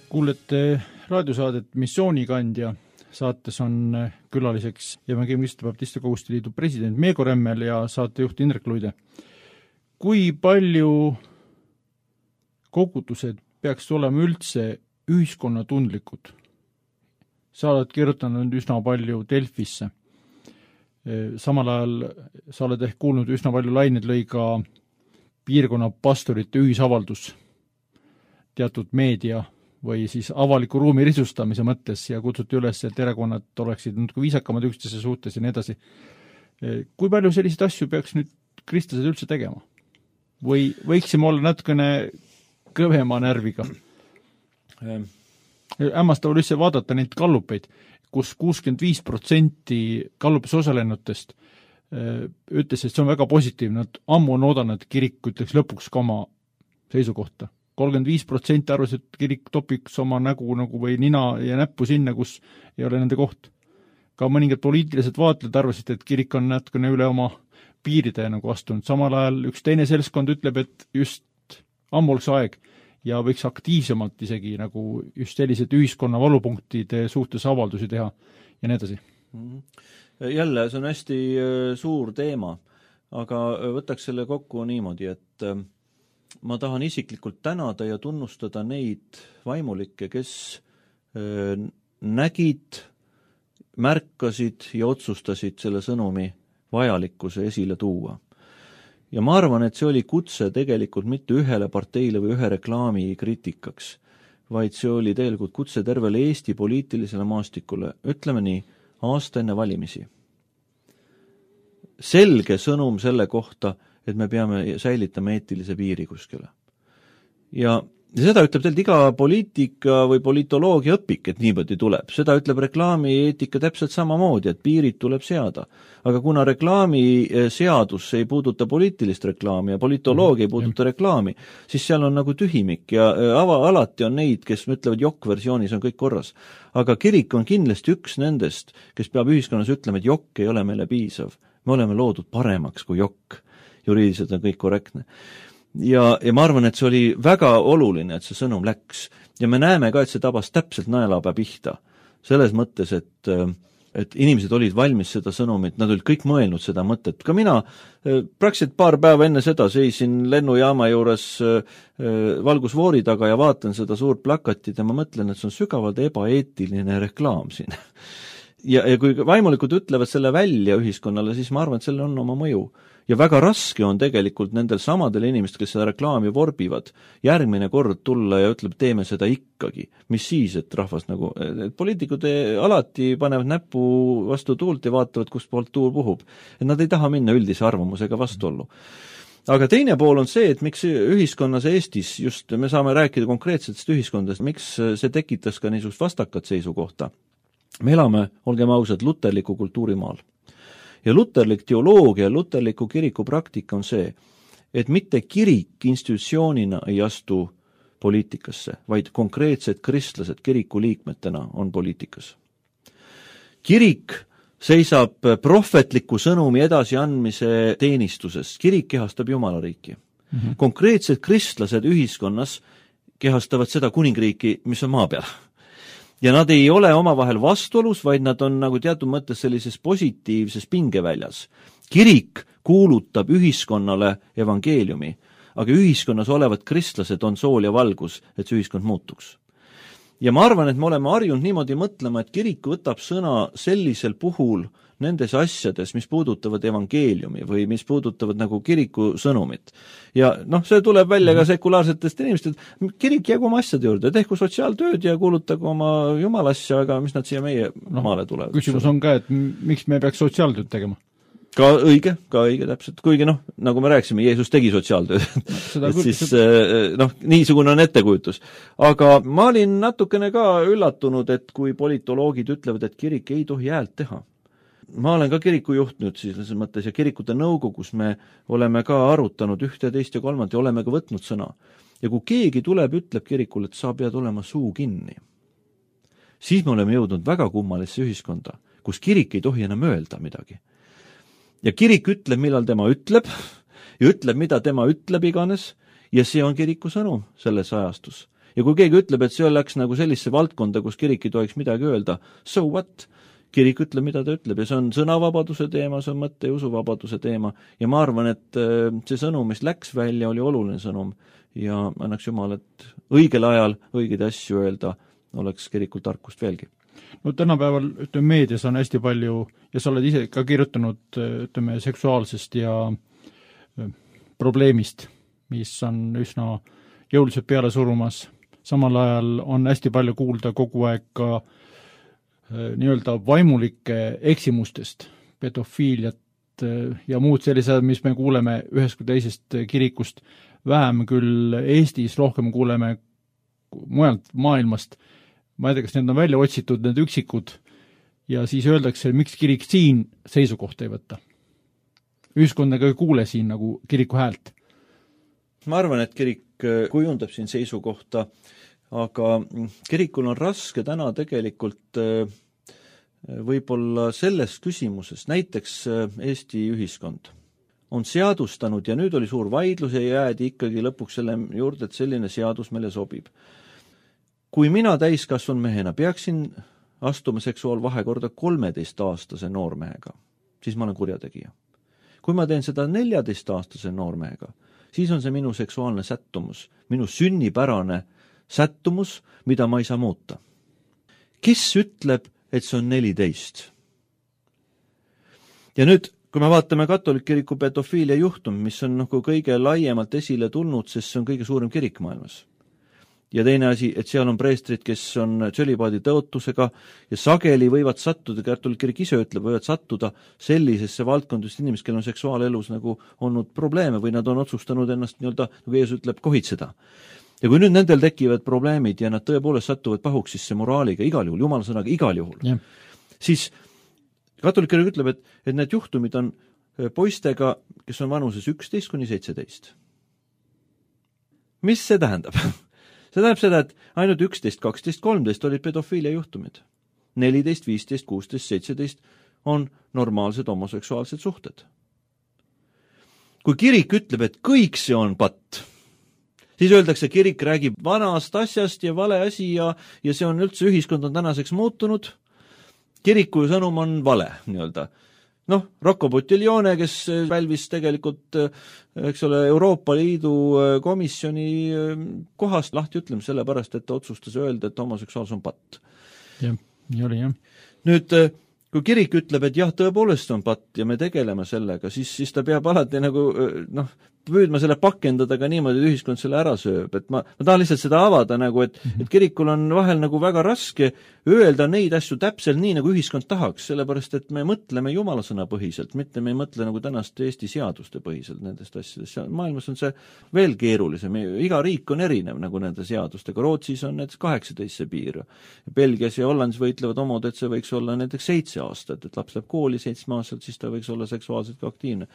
Kuulete raadiosaadet Missioonikandja. Saates on külaliseks Evangeeliste Baptiste Koguduste Liidu president Meego Remmel ja saatejuht Indrek Luide. Kui palju kogudused peaks olema üldse ühiskonnatundlikud? Sa oled kirjutanud üsna palju Delfisse. Samal ajal sa oled ehk kuulnud üsna palju laineid lõi ka piirkonna pastorite ühisavaldus teatud meedia või siis avaliku ruumi risustamise mõttes ja kutsuti üles, et erakonnad oleksid natuke viisakamad üksteise suhtes ja nii edasi. Kui palju selliseid asju peaks nüüd kristlased üldse tegema? Või võiksime olla natukene kõvema närviga? Ämmastav üldse vaadata neid gallupeid, kus kuuskümmend viis protsenti gallupis osalenutest ütles, et see on väga positiivne, et ammu on oodanud, et kirik ütleks lõpuks ka oma seisukohta. kolmkümmend viis protsenti arvas, et kirik topiks oma nägu nagu või nina ja näppu sinna, kus ei ole nende koht. Ka mõningad poliitilised vaatled arvasid, et kirik on natukene üle oma piiride nagu astunud. Samal ajal üks teine seltskond ütleb, et just ammu oleks aeg ja võiks aktiivsemalt isegi nagu just sellised ühiskonna valupunktide suhtes avaldusi teha ja nii edasi.
Jälle, see on hästi suur teema, aga võtaks selle kokku niimoodi, et ma tahan isiklikult tänada ja tunnustada neid vaimulikke, kes nägid, märkasid ja otsustasid selle sõnumi vajalikkuse esile tuua. Ja ma arvan, et see oli kutse tegelikult mitte ühele parteile või ühe reklaami kriitikaks, vaid see oli tegelikult kutse tervele Eesti poliitilisele maastikule, ütleme nii, aasta enne valimisi. Selge sõnum selle kohta, et me peame säilitama eetilise piiri kuskile. Ja Ja seda ütleb tegelikult iga poliitika või politoloogia õpik, et niimoodi tuleb. Seda ütleb reklaamieetika täpselt samamoodi, et piirid tuleb seada. Aga kuna reklaamiseadus ei puuduta poliitilist reklaami ja politoloogia ei puuduta reklaami, siis seal on nagu tühimik ja ava, alati on neid, kes ütlevad jokk-versioonis on kõik korras. Aga kirik on kindlasti üks nendest, kes peab ühiskonnas ütlema, et jokk ei ole meile piisav. Me oleme loodud paremaks kui jokk. Juriidiliselt on kõik korrektne. Ja, ja ma arvan, et see oli väga oluline, et see sõnum läks. Ja me näeme ka, et see tabas täpselt naelapea pihta. Selles mõttes, et, et inimesed olid valmis seda sõnumit, nad olid kõik mõelnud seda mõtet. Ka mina praktiliselt paar päeva enne seda seisin lennujaama juures valgusvoori taga ja vaatan seda suurt plakatit ja ma mõtlen, et see on sügavalt ebaeetiline reklaam siin. Ja, ja kui vaimulikud ütlevad selle välja ühiskonnale, siis ma arvan, et sellel on oma mõju. Ja väga raske on tegelikult nendel samadel inimestel, kes seda reklaami vorbivad, järgmine kord tulla ja ütleb, teeme seda ikkagi. Mis siis, et rahvas nagu, et poliitikud alati panevad näpu vastu tuult ja vaatavad, kust poolt tuul puhub. Et nad ei taha minna üldise arvamusega vastuollu. Aga teine pool on see, et miks ühiskonnas Eestis, just me saame rääkida konkreetsetest ühiskondadest, miks see tekitas ka niisugust vastakat seisukohta. Me elame, olgem ausad, luterliku kultuurimaal. Ja luterlik teoloogia, luterliku kiriku praktika on see, et mitte kirik institutsioonina ei astu poliitikasse, vaid konkreetsed kristlased kiriku liikmetena on poliitikas. Kirik seisab prohvetliku sõnumi edasiandmise teenistuses. Kirik kehastab Jumalariiki. Mm-hmm. Konkreetsed kristlased ühiskonnas kehastavad seda kuningriiki, mis on maa peal. Ja nad ei ole omavahel vastuolus, vaid nad on nagu teatud mõttes sellises positiivses pingeväljas. Kirik kuulutab ühiskonnale evangeeliumi, aga ühiskonnas olevad kristlased on sool ja valgus, et see ühiskond muutuks. Ja ma arvan, et me oleme harjunud niimoodi mõtlema, et kirik võtab sõna sellisel puhul nendes asjades, mis puudutavad evangeeliumi või mis puudutavad nagu kiriku sõnumit. Ja noh, see tuleb välja ka sekulaarsetest inimestest, kirik jäägu oma asjade juurde, tehku sotsiaaltööd ja kuulutagu oma jumalasja, aga mis nad siia meie no, maale tulevad.
Küsimus on ka, et miks me peaks sotsiaaltööd tegema?
Ka õige, ka õige täpselt, kuigi noh, nagu me rääkisime, Jeesus tegi sotsiaaltööd, no, et siis noh, niisugune on ettekujutus. Aga ma olin natukene ka üllatunud, et kui politoloogid ütlevad, et kirik ei tohi häält teha. Ma olen ka kiriku juht nüüd siis selles mõttes ja kirikute nõukogus me oleme ka arutanud ühte, teist ja kolmand ja oleme ka võtnud sõna. Ja kui keegi tuleb, ütleb kirikule, et sa pead olema suu kinni, siis me oleme jõudnud väga kummalisse ühiskonda, kus kirik ei tohi enam öelda midagi. Ja kirik ütleb, millal tema ütleb ja ütleb, mida tema ütleb iganes ja see on kiriku sõnum selles ajastus. Ja kui keegi ütleb, et see läks nagu sellisse valdkonda, kus kirik ei tohiks midagi öelda, so what? Kirik ütleb, mida ta ütleb ja see on sõnavabaduse teema, see on mõtte ja usuvabaduse teema ja ma arvan, et see sõnum, mis läks välja, oli oluline sõnum ja annaks Jumal, et õigel ajal õigeid asju öelda oleks kirikul tarkust veelgi.
No tänapäeval ütleme, meedias on hästi palju ja sa oled ise ka kirjutanud ütleme, seksuaalsest ja probleemist, mis on üsna jõuliselt peale surumas. Samal ajal on hästi palju kuulda kogu aeg ka nii-öelda vaimulike eksimustest, pedofiiliat ja muud sellised, mis me kuuleme ühest kui teisest kirikust, vähem küll Eestis, rohkem kuuleme mujalt maailmast. Ma ei tea, kas need on välja otsitud, need üksikud, ja siis öeldakse, miks kirik siin seisukohta ei võtta. Ühiskondega ei kuule siin nagu kiriku häält.
Ma arvan, et kirik kujundab siin seisukohta, aga kirikul on raske täna tegelikult võib-olla selles küsimuses, näiteks Eesti ühiskond on seadustanud ja nüüd oli suur vaidlus ja jäädi ikkagi lõpuks selle juurde, et selline seadus meile sobib. Kui mina täiskasvanud mehena peaksin astuma seksuaalvahekorda kolmeteistaastase noormehega, siis ma olen kurjategija. Kui ma teen seda neljateistaastase noormehega, siis on see minu seksuaalne sättumus, minu sünnipärane sättumus, mida ma ei saa muuta. Kes ütleb, et see on neliteist? Ja nüüd, kui me vaatame katoliku kiriku pedofiilia juhtum, mis on nagu kõige laiemalt esile tulnud, sest see on kõige suurem kirik maailmas. Ja teine asi, et seal on preestrid, kes on tsölibaadi tõotusega ja sageli võivad sattuda, katoliku kirik ise ütleb, võivad sattuda sellisesse valdkondust inimesed, kellel on seksuaalelus nagu olnud probleeme või nad on otsustanud ennast nii-öelda, nagu Jeesus ütleb, kohitseda. Ja kui nüüd nendel tekivad probleemid ja nad tõepoolest satuvad pahuks sisse moraaliga igal juhul, jumala sõnaga igal juhul, yeah. siis katoliku kirik ütleb, et, et need juhtumid on poistega, kes on vanuses üksteist kuni seitseteist. Mis see tähendab? See tähendab seda, et ainult üksteist, kaksteist, kolmteist olid pedofiilia juhtumid. neliteist, viisteist, kuusteist, seitseteist on normaalsed homoseksuaalsed suhted. Kui kirik ütleb, et kõik see on patt, siis öeldakse, kirik räägib vanast asjast ja vale asi ja, ja see on üldse, ühiskond on tänaseks muutunud. Kiriku sõnum on vale, nii-öelda. Noh, Rocco Buttiglione, kes välvis tegelikult, eks ole, Euroopa Liidu komisjoni kohast lahti ütlema selle pärast, et ta otsustas öelda, et homoseksuaalsus on patt.
Jah, nii oli, jah.
Nüüd, kui kirik ütleb, et jah, tõepoolest on patt ja me tegeleme sellega, siis, siis ta peab alati nagu, noh, püüdma selle pakendada ka niimoodi, et ühiskond selle ära sööb, et ma, ma tahan lihtsalt seda avada nagu, et, et kirikul on vahel nagu väga raske öelda neid asju täpselt nii, nagu ühiskond tahaks, sellepärast, et me mõtleme jumala sõna põhiselt, mitte me ei mõtle nagu tänast Eesti seaduste põhiselt nendest asjadest. Maailmas on see veel keerulisem, iga riik on erinev nagu nende seadustega, Rootsis on näiteks kaheksateist see piir, Belgias ja Hollandis võitlevad omad, et see võiks olla näiteks seitse aastat, et laps läheb kooli seitsme aastalt, siis ta võiks olla seksuaalselt ka aktiivne.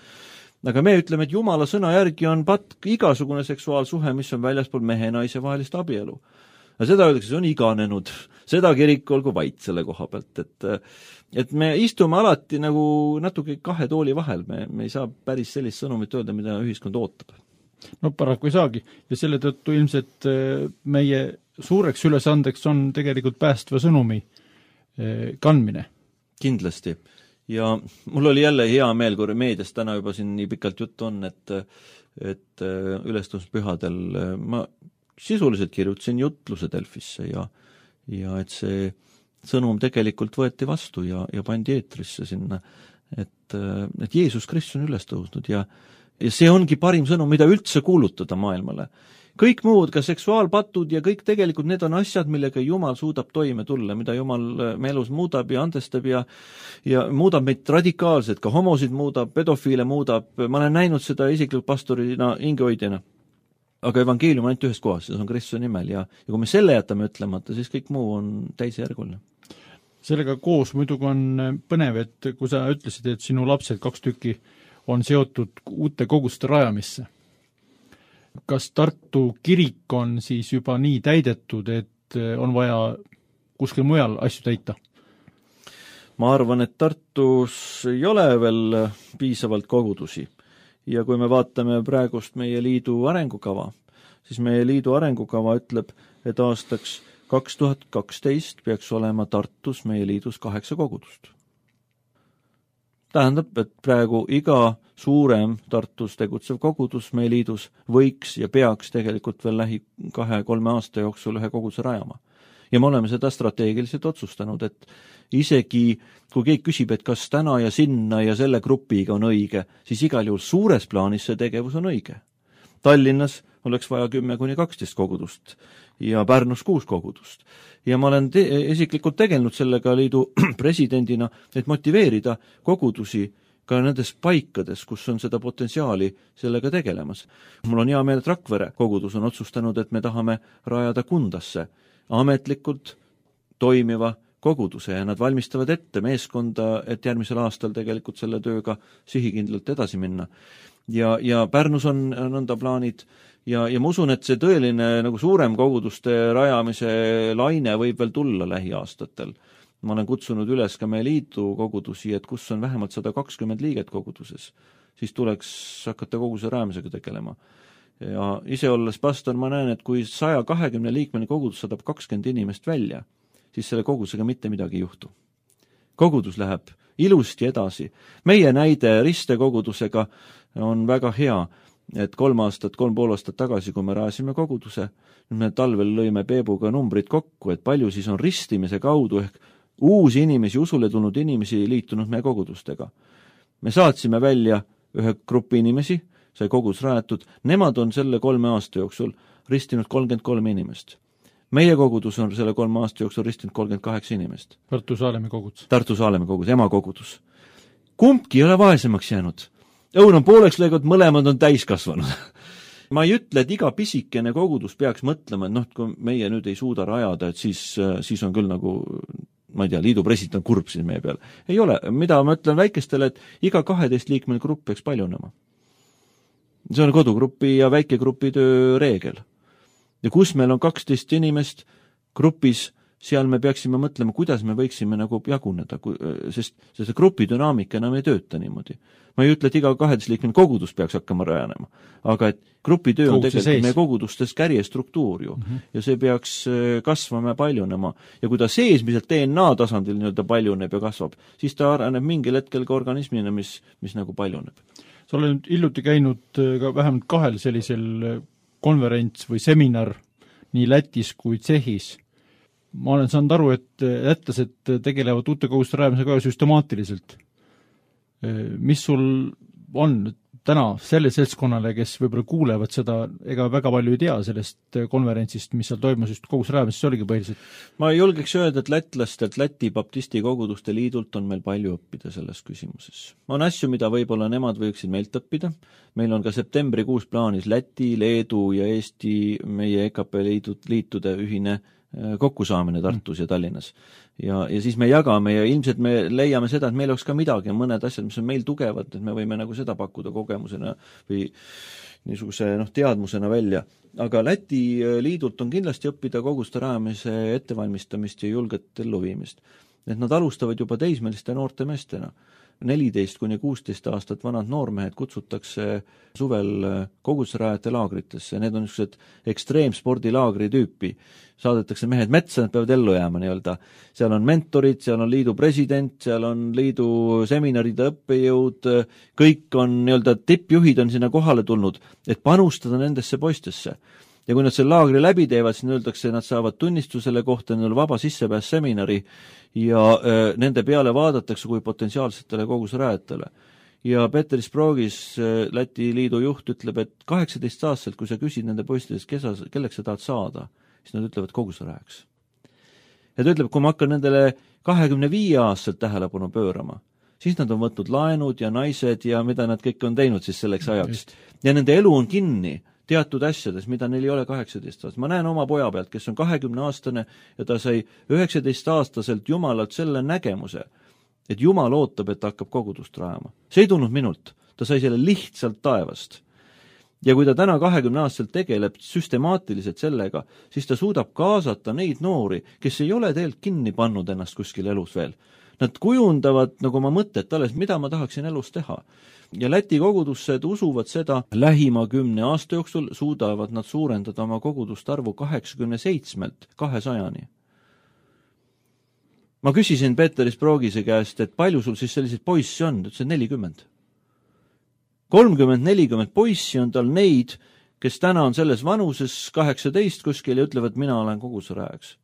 Aga me ütleme, et jumala sõna järgi on patt igasugune seksuaalsuhe, mis on väljaspool mehe ja naise vahelist abielu. Ja seda öeldakse, see on iganenud. Seda kirik olgu vait selle koha pealt, et, et me istume alati nagu natuke kahe tooli vahel. Me, me ei saa päris sellist sõnumit öelda, mida ühiskond ootab.
No paraku ei saagi. Ja selle tõttu ilmselt meie suureks ülesandeks on tegelikult päästva sõnumi kandmine.
Kindlasti. Ja mul oli jälle hea meel, kui meedias täna juba siin nii pikalt juttu on, et, et ülestõusmispühadel ma sisuliselt kirjutasin jutluse Delfisse ja, ja et see sõnum tegelikult võeti vastu ja, ja pandi eetrisse sinna, et, et Jeesus Kristus on üles tõusnud ja, ja see ongi parim sõnum, mida üldse kuulutada maailmale. Kõik muud, ka seksuaalpatud ja kõik tegelikult need on asjad, millega Jumal suudab toime tulla, mida Jumal me elus muudab ja andestab ja, ja muudab meid radikaalselt, ka homosid muudab, pedofiile muudab, ma olen näinud seda isiklikult pastorina, hingehoidjana. Aga evangeelium on ainult ühes kohas, see on Kristuse nimel ja, ja kui me selle jätame ütlemata, siis kõik muu on täisjärguline.
Sellega koos muidugi on põnev, et kui sa ütlesid, et sinu lapsed kaks tükki on seotud uute koguste rajamisse. Kas Tartu kirik on siis juba nii täidetud, et on vaja kuskil mujal asju täita?
Ma arvan, et Tartus ei ole veel piisavalt kogudusi. Ja kui me vaatame praegust meie liidu arengukava, siis meie liidu arengukava ütleb, et aastaks kaks tuhat kaksteist peaks olema Tartus meie liidus kaheksa kogudust. Tähendab, et praegu iga suurem Tartus tegutsev kogudus meie liidus võiks ja peaks tegelikult veel lähi kahe-kolme aasta jooksul ühe koguduse rajama. Ja me oleme seda strateegiliselt otsustanud, et isegi kui keegi küsib, et kas täna ja sinna ja selle grupiga on õige, siis igal juhul suures plaanis see tegevus on õige. Tallinnas oleks vaja kümme kuni kaksteist kogudust ja Pärnus kuus kogudust. Ja ma olen te- isiklikult tegelenud sellega liidu presidendina, et motiveerida kogudusi ka nendes paikades, kus on seda potentsiaali sellega tegelemas. Mul on hea meel, et Rakvere kogudus on otsustanud, et me tahame rajada Kundasse ametlikult toimiva koguduse ja nad valmistavad ette meeskonda, et järgmisel aastal tegelikult selle tööga sihikindlalt edasi minna. Ja, ja Pärnus on nõnda plaanid ja, ja ma usun, et see tõeline nagu suurem koguduste rajamise laine võib veel tulla lähiaastatel. Ma olen kutsunud üles ka meie liidu kogudusi, et kus on vähemalt sada kakskümmend liiget koguduses, siis tuleks hakata koguduse rajamisega tegelema. Ja ise olles pastor, ma näen, et kui saja kahekümne liikmeni kogudus saadab kakskümmend inimest välja, siis selle kogudusega mitte midagi ei juhtu. Kogudus läheb ilusti edasi. Meie näide Riste kogudusega on väga hea, et kolm aastat, kolm pool aastat tagasi, kui me rajasime koguduse, me talvel lõime Peebuga numbrid kokku, et palju siis on ristimise kaudu ehk uusi inimesi, usule tulnud inimesi liitunud meie kogudustega. me saatsime välja ühe grupi inimesi, sai kogudus rajatud, nemad on selle kolme aasta jooksul ristinud kolmkümmend kolm inimest. Meie kogudus on selle kolme aasta jooksul ristinud kolmkümmend kaheksa inimest.
Tartu Saalemi kogudus.
Tartu Saalemi kogudus, ema kogudus. Kumbki ei ole vaesemaks jäänud. Õun on pooleks lõigut, mõlemad on täiskasvanud. Ma ei ütle, et iga pisikene kogudus peaks mõtlema, et noh, kui meie nüüd ei suuda rajada, et siis, siis on küll nagu, ma ei tea, liidu president kurb siin meie peal. Ei ole. Mida ma ütlen väikestele, et iga kaheteist liikmel grupp peaks paljunema. See on kodugrupi ja väikegrupi töö reegel. Ja kus meil on kaksteist inimest grupis, seal me peaksime mõtlema, kuidas me võiksime nagu jaguneda, sest see grupi dünaamika enam ei tööta niimoodi. Ma ei ütle, et iga kaheteist liikmel kogudus peaks hakkama rajanema, aga et grupi töö on tegelikult sees. Meie kogudustes kärjestruktuur ju, mm -hmm. ja see peaks kasvama ja paljunema. Ja kui ta sees, mis D N A tasandil nii-öelda paljuneb ja kasvab, siis ta areneb mingil hetkel ka organismina, mis, mis nagu paljuneb.
Sa oled hiljuti käinud ka vähemalt kahel sellisel konverents või seminar nii Lätis kui Tsehhis. Ma olen saanud aru, et lätlased tegelevad uute koguduste rajamisega süstemaatiliselt. Mis sul on täna selle seltskonnale, kes võib-olla kuulevad seda, ega väga palju ei tea sellest konverentsist, mis seal toimus just koguduste rajamisest, see oligi põhiliselt?
Ma julgeks öelda, et lätlastelt Läti baptisti koguduste liidult on meil palju õppida selles küsimuses. On asju, mida võib-olla nemad võiksid meilt õppida. Meil on ka septembrikuus plaanis Läti, Leedu ja Eesti meie E K P liidud, liitude ühine kokkusaamine Tartus ja Tallinnas. Ja, ja siis me jagame ja ilmselt me leiame seda, et meil oleks ka midagi, mõned asjad, mis on meil tugevad, et me võime nagu seda pakkuda kogemusena või niisuguse noh, teadmusena välja. Aga Läti liidult on kindlasti õppida koguduste rajamise ettevalmistamist ja julget elluviimist. Et nad alustavad juba teismeliste noorte meestena. neliteist kuni kuusteist aastat vanad noormehed kutsutakse suvel koguduste rajate laagritesse. Need on niisugused ekstreemspordilaagri tüüpi. Saadetakse mehed metsa, nad peavad ellu jääma nii-öelda. Seal on mentorid, seal on liidu president, seal on liidu seminaride õppejõud, kõik on nii-öelda tippjuhid on sinna kohale tulnud, et panustada nendesse poistesse. Ja kui nad selle laagri läbi teevad, siis öeldakse, nad saavad tunnistusele kohta, neil vaba sissepääs seminari ja äh, nende peale vaadatakse kui potentsiaalsetele kogudusrajatele. Ja Peter Sprogis, äh, Läti liidu juht, ütleb, et kaheksateist aastaselt, kui sa küsid nende poistidest, kelleks sa tahad saada, siis nad ütlevad kogudusrajaks. Ja ta ütleb, kui ma hakkan nendele kahekümne viie aastaselt tähelepanu pöörama, siis nad on võtnud laenud ja naised ja mida nad kõik on teinud siis selleks ajaks. Ja nende elu on kinni teatud asjades, mida neil ei ole kaheksateist aastast. Ma näen oma poja pealt, kes on kahekümne aastane ja ta sai üheksateist aastaselt Jumalalt selle nägemuse, et Jumal ootab, et ta hakkab kogudust rajama. See ei tulnud minult. Ta sai selle lihtsalt taevast. Ja kui ta täna kahekümne aastaselt tegeleb süstemaatiliselt sellega, siis ta suudab kaasata neid noori, kes ei ole tegelikult kinni pannud ennast kuskil elus veel. Nad kujundavad nagu oma mõtet alles, mida ma tahaksin elus teha. Ja Läti kogudussed usuvad seda, lähima kümne aasta jooksul suudavad nad suurendada oma koguduste arvu kaheksakümne seitsmelt kahesajani. Ma küsisin Peter Sprogise käest, et palju sul siis selliseid poissi on, ütles nelikümmend. kolmkümmend nelikümmend poissi on tal neid, kes täna on selles vanuses kaheksateist kuskil ja ütlevad, mina olen kogudusrajaks.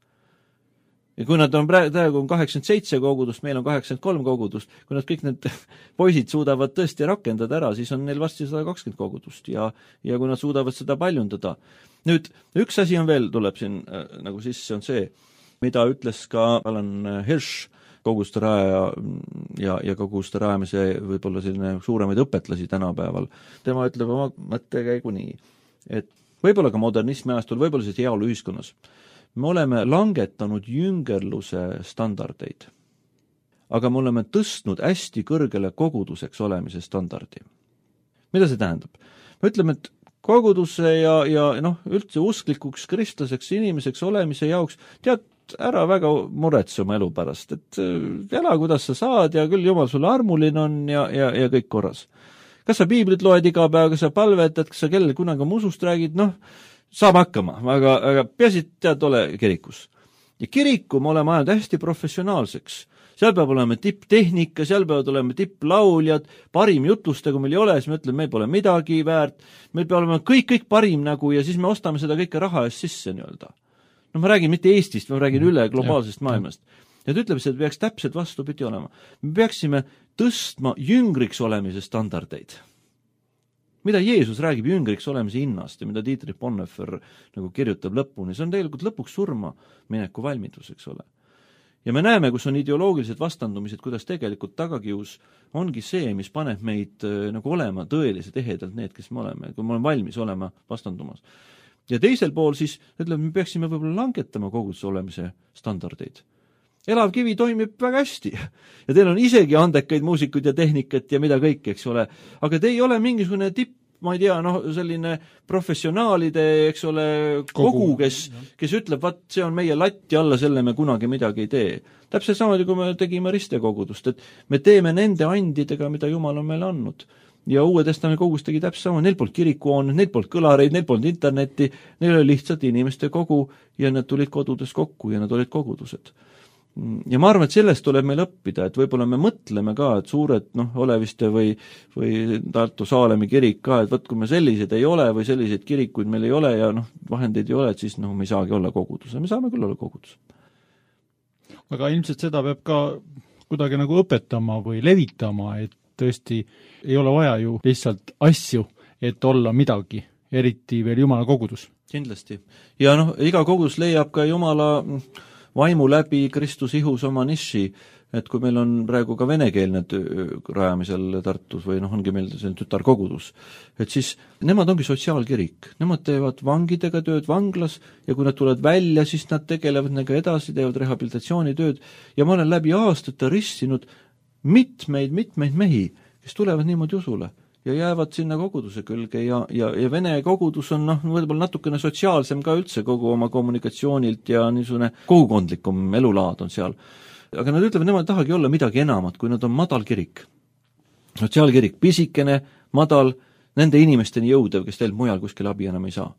Ja kui nad on praegu on kaheksakümmend seitse kogudust, meil on kaheksakümmend kolm kogudust, kui nad kõik need poisid suudavad tõesti rakendada ära, siis on neil varsti sada kakskümmend kogudust ja, ja kui nad suudavad seda paljundada. Nüüd, üks asi on veel, tuleb siin äh, nagu sisse, on see, mida ütles ka Alan Hirsch, koguduste raja ja, ja koguduste rajamise võib-olla selline suuremaid õpetlasi tänapäeval. Tema ütleb oma mõttekäigu nii, et võib-olla ka modernismi ajastul, võib-olla siis heaolu ühiskonnas. Me oleme langetanud jüngerluse standardeid, aga me oleme tõstnud hästi kõrgele koguduseks olemise standardi. Mida see tähendab? Me ütleme, et koguduse ja, ja noh, üldse usklikuks kristlaseks inimeseks olemise jaoks tead ära väga muretse oma elu pärast, et ela, kuidas sa saad ja küll Jumal sulle armuline on ja, ja, ja kõik korras. Kas sa piiblit loed iga päev, kas sa palvetad, kas sa kellel kunagi musust räägid, noh, saab hakkama, aga, aga peaasi tead ole kirikus. Ja kiriku me oleme ajanud hästi professionaalseks. Seal peab olema tipptehnika, seal peavad olema tipplauljad, parim jutluste, kui meil ei ole, siis me ütleme, meil pole midagi väärt, meil peab olema kõik, kõik parim nagu ja siis me ostame seda kõike raha eest sisse nii-öelda. No ma räägin mitte Eestist, ma räägin üle globaalsest maailmast. ja ta ütleb, et peaks täpselt vastupidi olema. Me peaksime tõstma jüngriks olemise standardeid. Mida Jeesus räägib jüngriks olemise hinnast ja mida Dietrich Bonhoeffer nagu kirjutab lõpuni, see on tegelikult lõpuks surma mineku valmidus, eks ole. Ja me näeme, kus on ideoloogilised vastandumised, kuidas tegelikult tagakius ongi see, mis paneb meid nagu olema tõeliselt ehedalt need, kes me oleme, kui me oleme valmis olema vastandumas. Ja teisel pool siis, ütleme, me peaksime võib-olla langetama koguduse olemise standardeid. Elav kivi toimib väga hästi ja teil on isegi andekaid muusikuid ja tehnikat ja mida kõik, eks ole, aga te ei ole mingisugune tipp, ma ei tea, noh, selline professionaalide, eks ole, kogu, kes, kes ütleb, vaat see on meie latti alla, selle me kunagi midagi ei tee. Täpselt samamoodi, kui me tegime ristekogudust, et me teeme nende andidega, mida Jumal on meile andnud. Ja Uue Testamendi kogus tegi täpselt sama, neil polnud kirikuhooned, neil polnud kõlareid, neil polnud internetti, neil oli lihtsalt inimeste kogu ja nad tulid kodudes kokku ja nad olid kogudused. Ja ma arvan, et sellest tuleb meil õppida, et võib-olla me mõtleme ka, et suured, noh, Oleviste või, või Tartu Saalemi kirik ka, et võt, kui me sellised ei ole või selliseid kirikuid meil ei ole ja noh, vahendeid ei ole, et siis noh, me ei saagi olla kogudus. Me saame küll olla kogudus.
Aga ilmselt seda peab ka kuidagi nagu õpetama või levitama, et tõesti ei ole vaja ju lihtsalt asju, et olla midagi, eriti veel Jumala kogudus.
Kindlasti. Ja noh, iga kogudus leiab ka Jumala vaimu läbi Kristus ihus oma niši, et kui meil on praegu ka venekeelne rajamisel Tartus või noh, ongi meil selline tütarkogudus, et siis nemad ongi sotsiaalkirik. Nemad teevad vangidega tööd vanglas ja kui nad tulevad välja, siis nad tegelevad nendega edasi, teevad rehabilitatsioonitööd ja ma olen läbi aastate ristinud mitmeid, mitmeid mehi, kes tulevad niimoodi usule ja jäävad sinna koguduse külge ja, ja, ja Vene kogudus on noh, võib-olla natukene sotsiaalsem ka üldse kogu oma kommunikatsioonilt ja niisugune kogukondlikum elulaad on seal. Aga nad ütlevad, nemad tahagi olla midagi enamat, kui nad on madal kirik. Sotsiaalkirik, pisikene, madal, nende inimesteni jõudev, kes teil mujal kuskil abi enam ei saa.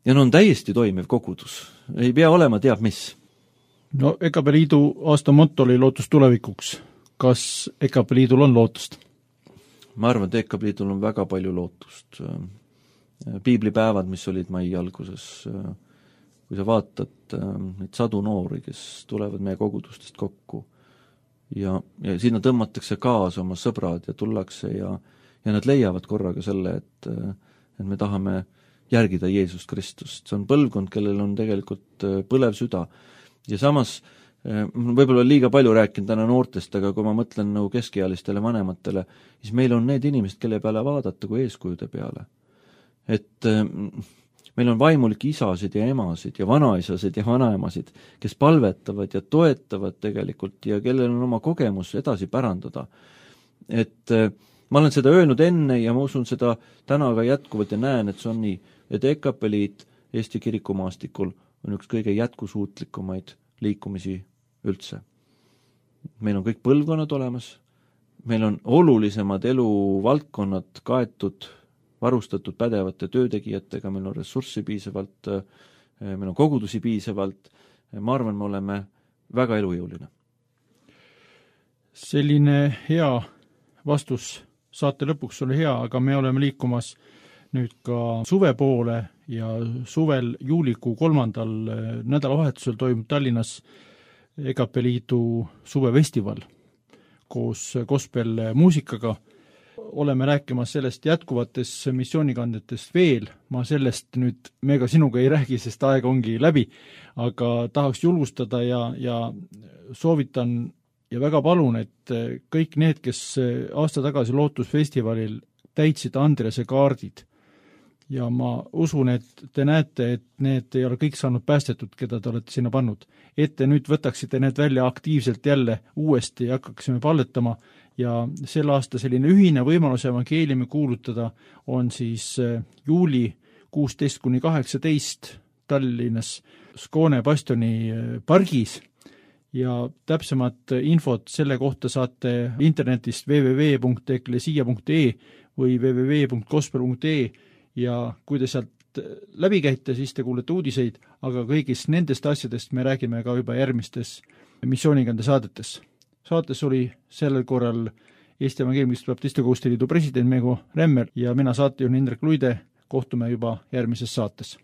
Ja no on täiesti toimiv kogudus. Ei pea olema teab mis.
No E K P Liidu aasta motto oli lootus tulevikuks. Kas E K P Liidul on lootust?
Ma arvan, et E K P Liidul on väga palju lootust. Piiblipäevad, mis olid mai alguses, kui sa vaatad neid sadu noori, kes tulevad meie kogudustest kokku ja, ja sinna tõmmatakse kaasa oma sõbrad ja tullakse ja, ja nad leiavad korraga selle, et, et me tahame järgida Jeesust Kristust. See on põlvkond, kellel on tegelikult põlev süda ja samas võib-olla liiga palju rääkinud täna noortest, aga kui ma mõtlen nagu keskealistele vanematele, siis meil on need inimesed, kelle peale vaadata kui eeskujude peale. Et meil on vaimulik isasid ja emasid ja vanaisasid ja vanaemasid, kes palvetavad ja toetavad tegelikult ja kellel on oma kogemus edasi pärandada. Et ma olen seda öelnud enne ja ma usun seda täna ka jätkuvalt ja näen, et see on nii, et E K P Liit Eesti kirikumaastikul on üks kõige jätkusuutlikumaid liikumisi üldse. Meil on kõik põlvkonnad olemas, meil on olulisemad eluvaldkonnad kaetud, varustatud pädevate töötegijatega, meil on ressurssi piisavalt, meil on kogudusi piisavalt, ma arvan, me oleme väga elujõuline.
Selline hea vastus saate lõpuks oli hea, aga me oleme liikumas nüüd ka suve poole ja suvel juulikuu kolmandal nädalavahetusel toimub Tallinnas E K P Liidu suvefestival koos gospel muusikaga. Oleme rääkimas sellest jätkuvates missioonikandetest veel, ma sellest nüüd mega sinuga ei räägi, sest aeg ongi läbi, aga tahaks julgustada ja, ja soovitan ja väga palun, et kõik need, kes aasta tagasi Lootusfestivalil täitsid Andrese kaardid, ja ma usun, et te näete, et need ei ole kõik saanud päästetud, keda te olete sinna pannud. Et te nüüd võtaksite need välja aktiivselt jälle uuesti ja hakkaksime palletama ja sel aasta selline ühine võimalus evangeeliumi kuulutada on siis juuli kuusteist kuni kaheksateist Tallinnas Skoone bastioni pargis ja täpsemat infot selle kohta saate internetist w w w punkt eklesia punkt e või w w w punkt gospel punkt e ja kui te sealt läbi käite, siis te kuulete uudiseid, aga kõigist nendest asjadest me räägime ka juba järgmistes missioonikande saadetes. Saates oli sellel korral Eesti Evangeelmist Baptiste Koguduste Liidu president Meego Remmer ja mina saatejuht Indrek Luide. Kohtume juba järgmises saates.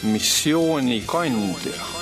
Missioonikandja.